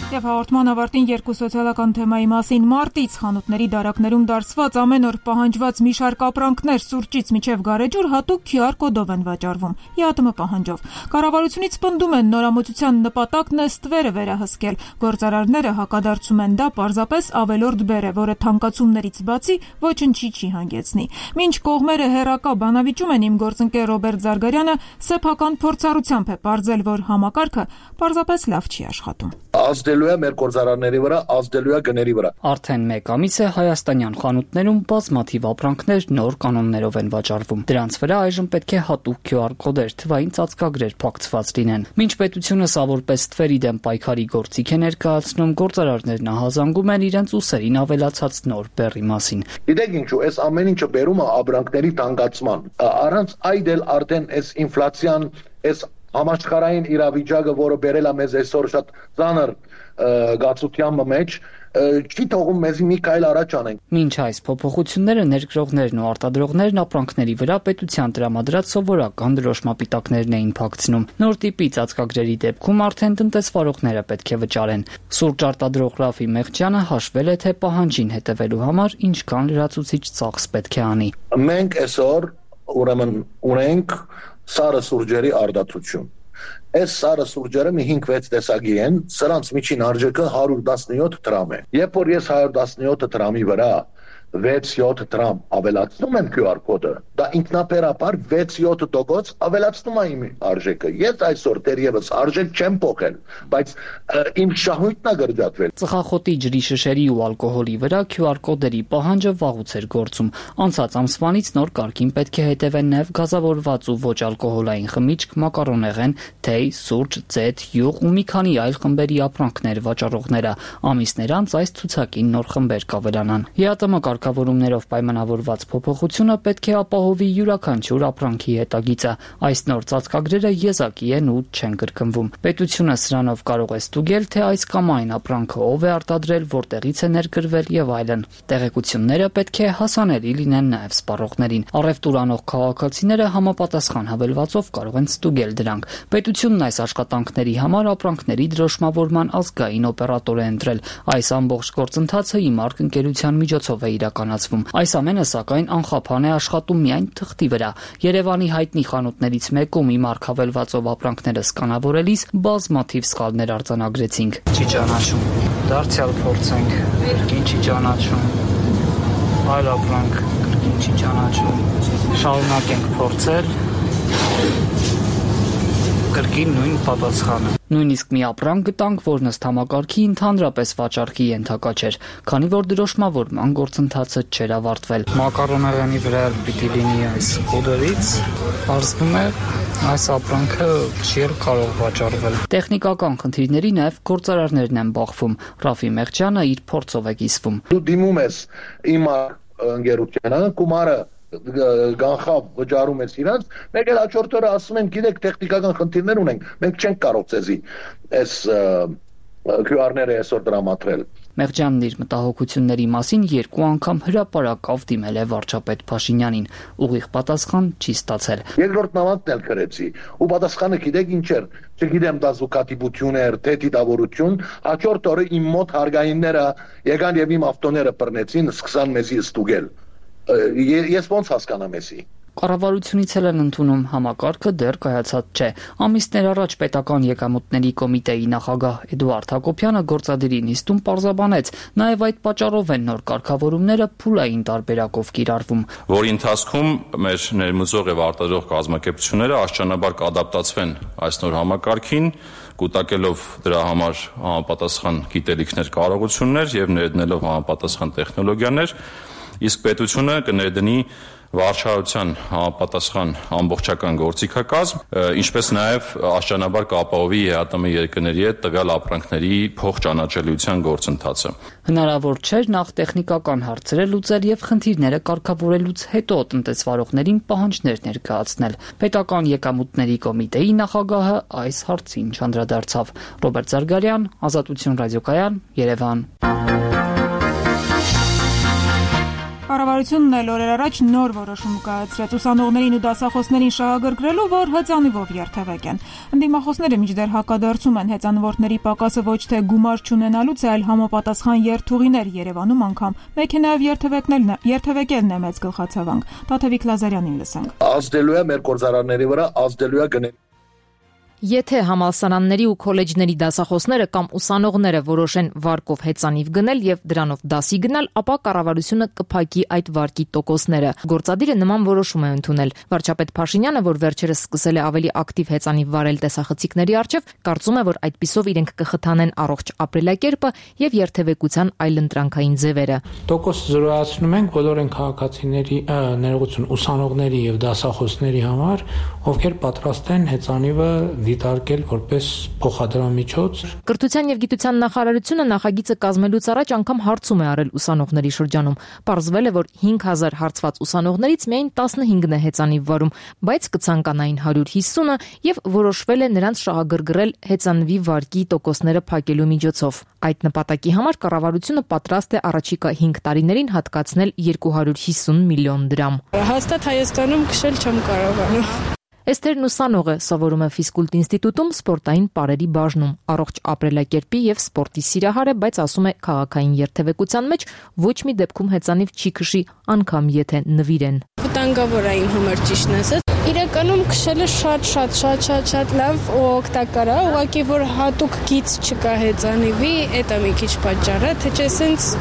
Եվ հաղորդման ավարտին երկու սոցիալական թեմայի մասին մարտից խանութների դարակներում դարսված ամեն օր պահանջված մի շարք ապրանքներ սուրճից մինչև գարեջուր հատուկ քյու ար կոդով են վաճառվում՝ ԵԱՏՄ պահանջով։ Կառավարությունից պնդում են նորամուծության նպատակն է ստվերը վերահսկել։ Գործարարները հակադարձում են դա պարզապես ավելորդ բեռ է, որը թանկացումներից բացի ոչնչի չի հանգեցնի։ Մինչ կողմերը հերակա բանավիճում են, իմ գործընկեր Ռոբերտ Զարգարյանը սեփական փորձառությամբ է պարզել, որ համակարգը պարզապես լավ չի աշխատում։ Ազդելու է մեր գործարարների վրա, ազդելու է գների վրա։ Արդեն մեկ ամիս է հայաստանյան խանութներում բազմաթիվ ապրանքներ նոր կանոններով են վաճառվում։ Դրանց վրա այժմ պետք է հատուկ քյու ար կոդեր, թվային ծածկագրեր փակցված լինեն։ Մինչ պետությունը սա որպես ստվերի դեմ պայքարի գործիք է ներկայացնում, գործարարներն ահազանգում են իրենց ուսերին ավելացած նոր բեռի մասին։ Գիտեք ինչու, այս ամեն ինչը բերում է ապրանքների թանկացման։ Առանց այդ էլ արդեն այս ինֆլյացիան, այս համաշխարհային իրավիճակը, որը բերել է մեզ այսօր շատ ծանր գացության մեջ, չի թողում մեզ մի քայլ առաջ անենք։ Մինչ այս փոփոխությունները ներկրողներն ու արտադրողներն ապրանքների վրա պետության տրամադրած սովորական դրոշմապիտակներն էին փակցնում։ Նոր տիպի ծածկագրերի դեպքում արդեն տնտեսվարողները պետք է վճարեն։ Սուրճ արտադրող Ռաֆի Մեղջյանը հաշվել է, թե պահանջին հետևելու համար ինչքան լրացուցիչ ծախս պետք է անի։ Մենք այսօր ուրեմն ունենք սարը սուրճերի արդարացություն։ Այս սարը սուրճերը մի հինգ-վեց տեսակի են, սրանց միջին արժեքը հարյուր տասնյոթ դրամ է։ Երբ որ ես հարյուր տասնյոթ դրամի վրա վեց-յոթ դրամ ավելացնում եմ քյու ար կոդը, դա ինքնաբերաբար վեց-յոթ տոկոս ավելացնում է իմ արժեքը։ Ես այսօր դեռևս արժեք չեմ փոխել, բայց իմ շահույթն է գրջատվել։ Ծխախոտի, ջրի շշերի ու ալկոհոլի վրա քյու ար կոդերի պահանջը վաղուց էր գործում։ Անցած ամսվանից նոր կարգին պետք է հետևեն նաև գազավորված ու ոչ ալկոհոլային խմիչք, մակարոնեղեն, թեյ, սուրճ, ձեթ, յուղ ու մի քանի այլ խմբերի ապրանքներ վաճառողները։ Ամիսներ անց այս ցուցակին նոր խմբեր կավելանան։ ԵԱՏՄ կարգավորումներով պայմանավորված փոփոխությունը պետք է ապահովի յուրաքանչյուր ապրանքի հետագիծը։ Այս նոր ծածկագրերը եզակի են ու չեն կրկնվում։ Պետությունը սրանով կարող է ստուգել, թե այս կամ այն ապրանքը ով է արտադրել, որտեղից է ներկրվել եւ այլն։ Տեղեկությունները պետք է հասանելի լինեն նաեւ սպառողներին։ Առևտուր անող քաղաքացիները համապատասխան հավելվածով կարող են ստուգել դրանք։ Պետությունն այս աշխատանքների համար ապրանքների դրոշմավորման ազգային օպերատոր է ընտրել։ Այս ամբողջ գործընթացը ԻՄԱՐԿ ընկերության միջոցով է իրականացվում։ Այս ամենը սակայն անխափան է աշխատում միայն թղթի վրա։ Երևանի հայտնի խանութներից մեկում ԻՄԱՐԿ հավելվածով ապրանքները սկանավորելիս բազմաթիվ սխալներ արձանագրեցինք։ Չի ճանաչում։ Դարձյալ փորձենք։ Կրկին չի ճանաչում։ Այլ ապրանք կրկին չի ճանաչում։ Շարունակենք փորձել։ Կրկին նույն պատասխանը։ Նույնիսկ մի ապրանք գտանք, որն ըստ համակարգի ընդհանրապես վաճառքի ենթակա չէր, քանի որ դրոշմավորման գործընթացը չէր ավարտվել։ Մակարոնեղենի վրա պիտի լինի այս կոդերից, պարզվում է այս ապրանքը չի կարող վաճառվել։ Տեխնիկական խնդիրների նաև գործարարներն են բախվում։ Ռաֆի Մեղջյանը իր փորձով է կիսվում։ Դու դիմում ես իմ ընկերությանը, գումարը գանխավ վճարում ես իրանց, մեկ էլ հաջորդ օրը ասում են, գիտեք, տեխնիկական խնդիրներ ունենք, մենք չենք կարող ցեզի այս քյու ար-ները այսօր դրամատրել։ Մեղջյանն իր մտահոգությունների մասին երկու անգամ հրապարակավ դիմել է վարչապետ Փաշինյանին, ուղիղ պատասխան չի ստացել։ Երկրորդ նամակն էլ գրեցի, ու պատասխանը գիտեք ինչ էր, չգիտեմ դա զուգադիպություն էր, թե դիտավորություն, հաջորդ օրը իմ մոտ հարգայինները եկան եւ իմ ավտոները բռնեցին, սկսան մեզի ստուգել։ Ես ոնց հասկանամ էսի։ Կառավարությունից էլ են ընդունում, համակարգը դեռ կայացած չէ։ Ամիսներ առաջ պետական եկամուտների կոմիտեի նախագահ Էդուարդ Հակոբյանը գործադիրի նիստում պարզաբանեց, նաև այդ պատճառով են նոր կարգավորումները փուլային տարբերակով կիրառվում, որի ընթացքում մեր ներմուծող եւ արտադրող կազմակերպությունները աստիճանաբար կադապտացվեն այս նոր համակարգին, կուտակելով դրա համար համապատասխան գիտելիքներ, կարողություններ եւ ներդնելով համապատասխան տեխնոլոգիաներ, իսկ պետությունը կներդնի վարչարության համապատասխան ամբողջական գործիքակազմ, ինչպես նաև աստիճանաբար կապահովի ԵԱՏՄ երկրների հետ տվյալ ապրանքների փոխճանաչելիության գործընթացը։ Հնարավոր չէր նախ տեխնիկական հարցերը լուծել եւ խնդիրները կարգավորելուց հետո տնտեսվարողներին պահանջներ ներկայացնել։ Պետական եկամուտների կոմիտեի նախագահը այս հարցին չանդրադարձավ։ Ռոբերտ Զարգարյան, Ազատություն ռադիոկայան, Երևան։ Կառավարությունն էլ օրեր առաջ նոր որոշում կայացրեց ուսանողներին ու դասախոսներին շահագրգռելու, որ հեծանիվով երթևեկեն։ Ընդդիմախոսները մինչդեռ հակադարձում են հեծանվորդների պակասը ոչ թե գումար չունենալուց, այլ համապատասխան երթուղիներ Երևանում անգամ մեքենայով երթևեկնելն է, երթևեկելն է մեծ գլխացավանք։ Տաթևիկ Լազարյանին լսենք։ Ազդելու է մեր գործարանների վրա, ազդելու է գնել։ Եթե համալսարանների ու քոլեջների դասախոսները կամ ուսանողները որոշեն վարկով հեծանիվ գնել եւ դրանով դասի գնալ, ապա կառավարությունը կփակի այդ վարկի տոկոսները։ Գործադիրը նման որոշում է ընդունել։ Վարչապետ Փաշինյանը, որ վերջերս սկսել է ավելի ակտիվ հեծանիվ վարել տեսախցիկների առջև, կարծում է, որ այդպիսով իրենք կխթանեն առողջ ապրելակերպը եւ երթևեկության այլընտրանքային ձևերը։ Տոկոս զրոյացնում ենք բոլոր այն քաղաքացիների ներողություն ուսանողների եւ դասախոսների համար, ովքեր պատրաստ են հեծանիվը դիտարկել որպես փոխադրամիջոց։ Կրթության եւ գիտության նախարարությունը նախագիծը կազմելուց առաջ անգամ հարցում է արել ուսանողների շրջանում։ Պարզվել է, որ հինգ հազար հարցված ուսանողներից միայն տասնհինգն է հեծանիվ վարում, բայց կցանկանային հարյուր հիսունը եւ որոշվել է նրանց շահագրգռել հեծանվի վարկի տոկոսները փակելու միջոցով։ Այդ նպատակի համար կառավարությունը պատրաստ է առաջիկա հինգ տարիներին հատկացնել երկու հարյուր հիսուն միլիոն դրամ։ Հաստատ Հայաստանում քշել չեմ կարողանում։ Էսթերն ուսանող է, սովորում է ֆիզկուլտ ինստիտուտում սպորտային պարերի բաժնում, առողջ ապրելակերպի եւ սպորտի սիրահար է, բայց ասում է քաղաքային երթևեկության մեջ ոչ մի դեպքում հեծանիվ չի քշի, անգամ եթե նվիրեն։ Վտանգավոր է իմ համար ճիշտն ասած։ Իրականում քշելը շատ շատ շատ շատ շատ լավ ու օգտակար է, ուղղակի որ հատուկ գիծ չկա հեծանիվի, դա մի քիչ պատճառը, թե չէ սենց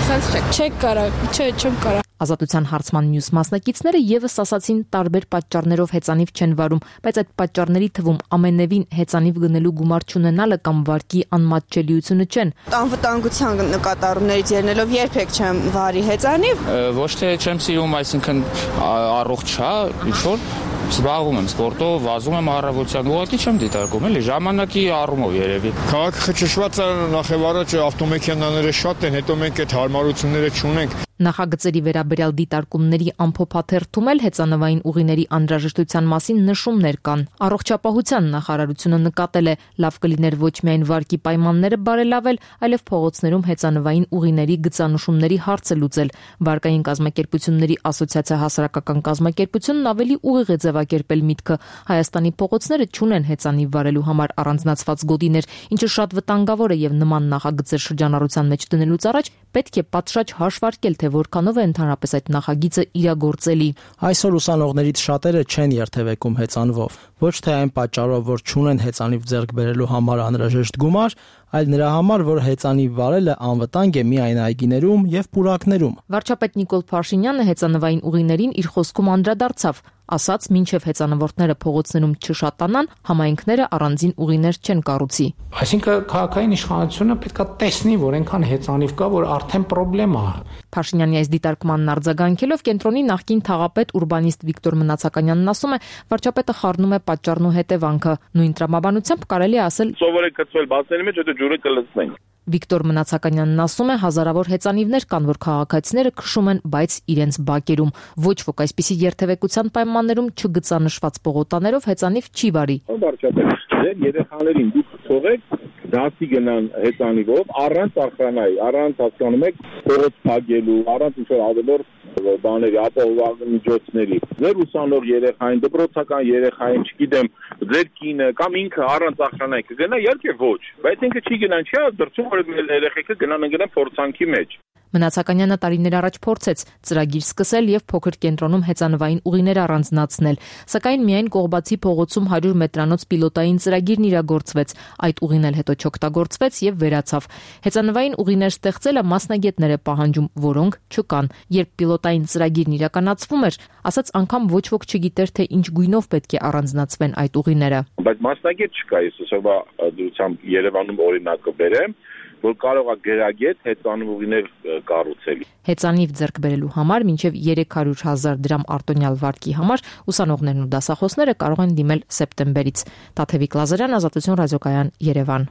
սենց չեք կարա, չէ, չեմ կարա։ Ազատության հարցման մյուս մասնակիցները եւս ասացին տարբեր պատճառներով հեծանիվ չեն վարում, բայց այդ պատճառների թվում ամենևին հեծանիվ գնելու գումար չունենալը կամ վարկի անմատչելիությունը չեն։ Անվտանգության նկատառումներից ելնելով երբեք չեմ վարի հեծանիվ։ Ոչ թե չեմ սիրում, այսինքն առողջ չէ, ինչ որ զբաղվում եմ սպորտով, վազում եմ առավոտյան, ուղղակի չեմ դիտարկում, էլի ժամանակի առումով երևի։ Քաղաքը խճճված է, նախ եւ առաջ ավտոմեքենաները շատ են, հետո մենք այդ հարմարությունները չունենք։ Նախագծերի վերաբերյալ դիտարկումների ամփոփաթերթում էլ հեծանվային ուղիների անհրաժեշտության մասին նշումներ կան։ Առողջապահության նախարարությունը նկատել է, լավ կլիներ ոչ միայն վարկի պայմանները բարելավել, այլև փողոցներում հեծանվային ուղիների գծանշումների հարցը լուծել։ Վարկային կազմակերպությունների ասոցիացիա հասարակական կազմակերպությունն ավելի ուղիղ է ձևակերպել միտքը։ Հայաստանի փողոցները չունեն հեծանիվ վարելու համար առանձնացված գոտիներ, ինչը շատ վտանգավոր է եւ նման նախագծեր շրջանառության մեջ դնելուց առաջ պետք է պատշաճ հաշվարկել, թե որքանով է ընդհանրապես այդ նախագիծը իրագործելի։ Այսօր ուսանողներից շատերը չեն երթևեկում հեծանվով, ոչ թե այն պատճառով, որ չունեն հեծանիվ ձեռք բերելու համար անհրաժեշտ գումար, այլ նրա համար, որ հեծանիվ վարելը անվտանգ է միայն այգիներում եւ պուրակներում։ Վարչապետ Նիկոլ Փաշինյանը հեծանվային ուղիներին իր խոսքում անդրադարձավ, ասաց, մինչև հեծանվորդները փողոցներում չշատանան, համայնքները առանձին ուղիներ չեն կառուցի։ Այսինքն քաղաքային իշխանությունը պետք է տեսնի, որ այնքան հեծանիվ կա, որ արդեն խնդրեմ է։ Փաշինյանի այս դիտարկմանն արձագանքելով կենտրոնի նախկին թաղապետ ուրբանիստ Վիկտոր Մնացականյանն ասում է, վարչապետը խառնում է պատճառն ու հետևանքը։ Նույն տրամաբանությամբ կարելի է ասել. Սովորեք կծվել բացների մեջ, հետո ջուրը կլցնենք։ Վիկտոր Մնացականյանն ասում է, հազարավոր հեծանիվներ կան, որ քաղաքացիները քշում են, բայց իրենց բակերում։ Ոչ ոք այսպիսի երթևեկության պայմաններում չգծանշված պողոտաներով հեծանիվ չի վարի։ Վարչապետ, ձեր երեխաներին դուք թողեք դասի գնան հեծանիվով, առանց ախրանայի, առանց հասկանում եք փողոց փակելու, առանց ինչ-որ ավելորդ բաների, ապահովական միջոցների։ Ձեր ուսանող երեխային, դպրոցական երեխային, չգիտեմ, ձեր կինը կամ ինքը առանց ախրանայի կգնա, իհարկե ոչ, բայց ինքը չի գնան, չի դրսում որ երեխեքը գնան ընկնեն փորձանքի մեջ։ Մնացականյանը տարիներ առաջ փորձեց ծրագիր սկսել եւ փոքր կենտրոնում հեծանվային ուղիներ առանձնացնել, սակայն միայն Կողբացի փողոցում հարյուր մետրանոց պիլոտային ծրագիրն իրագործվեց, այդ ուղին էլ հետո չօգտագործվեց եւ վերացավ։ Հեծանվային ուղիներ ստեղծելը մասնագետներ է պահանջում, որոնք չկան։ Երբ պիլոտային ծրագիրն իրականացվում էր, ասաց անգամ ոչ ոք չգիտեր, թե ինչ գույնով պետք է առանձնացվեն այդ ուղիները։ Բայց մասնագետ չկա, ես այսօրվա դրությամբ Երևանում օրինակը բերեմ, որ կարող է գրագետ հեծանիվ ուղիներ կառուցել։ Հեծանիվ ձեռք բերելու համար մինչև երեք հարյուր հազար դրամ արտոնյալ վարկի համար ուսանողներն ու դասախոսները կարող են դիմել սեպտեմբերից։ Տաթևիկ Լազարյան, Ազատություն ռադիոկայան, Երևան։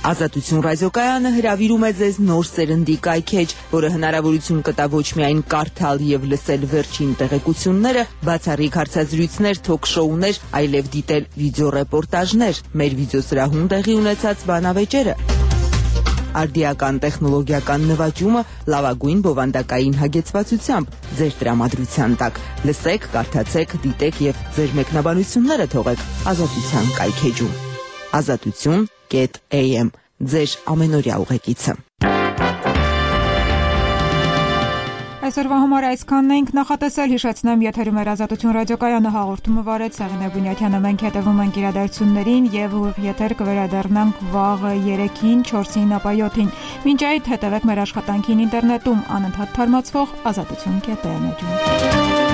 Ազատություն ռադիոկայանը հրավիրում է ձեզ նոր սերնդի կայքեջ, որը հնարավորություն կտա ոչ միայն կարդալ եւ լսել վերջին տեղեկությունները, բացառիկ հարցազրույցներ, թոք-շոուներ, այլև դիտել վիդեոռեպորտաժներ, մեր վիդեոսրահում տեղի ունեցած բանավեճերը, արդիական տեխնոլոգիական նվաճումը լավագույն բովանդակային հագեցվածությամբ ձեր տրամադրության տակ։ Լսեք, կարդացեք, դիտեք եւ ձեր մեկնաբանությունները թողեք Ազատության կայքեջում։ Ազատություն am ձեր ամենօրյա ուղեկիցը։ Այսօրվա համար այսքանն ենք նախատեսել, հիշեցնեմ, եթերում էր Ազատություն ռադիոկայանը, հաղորդումը վարեց Սաղինե Բունյաթյանը, մենք հետևում ենք իրադարձություններին եւ ուղիղ եթեր կվերադառնանք վաղը երեքին, չորսին, ապա յոթին։ Մինչ այդ հետևեք մեր աշխատանքին ինտերնետում, անընդհատ թարմացվող ազատություն կետ am-ում։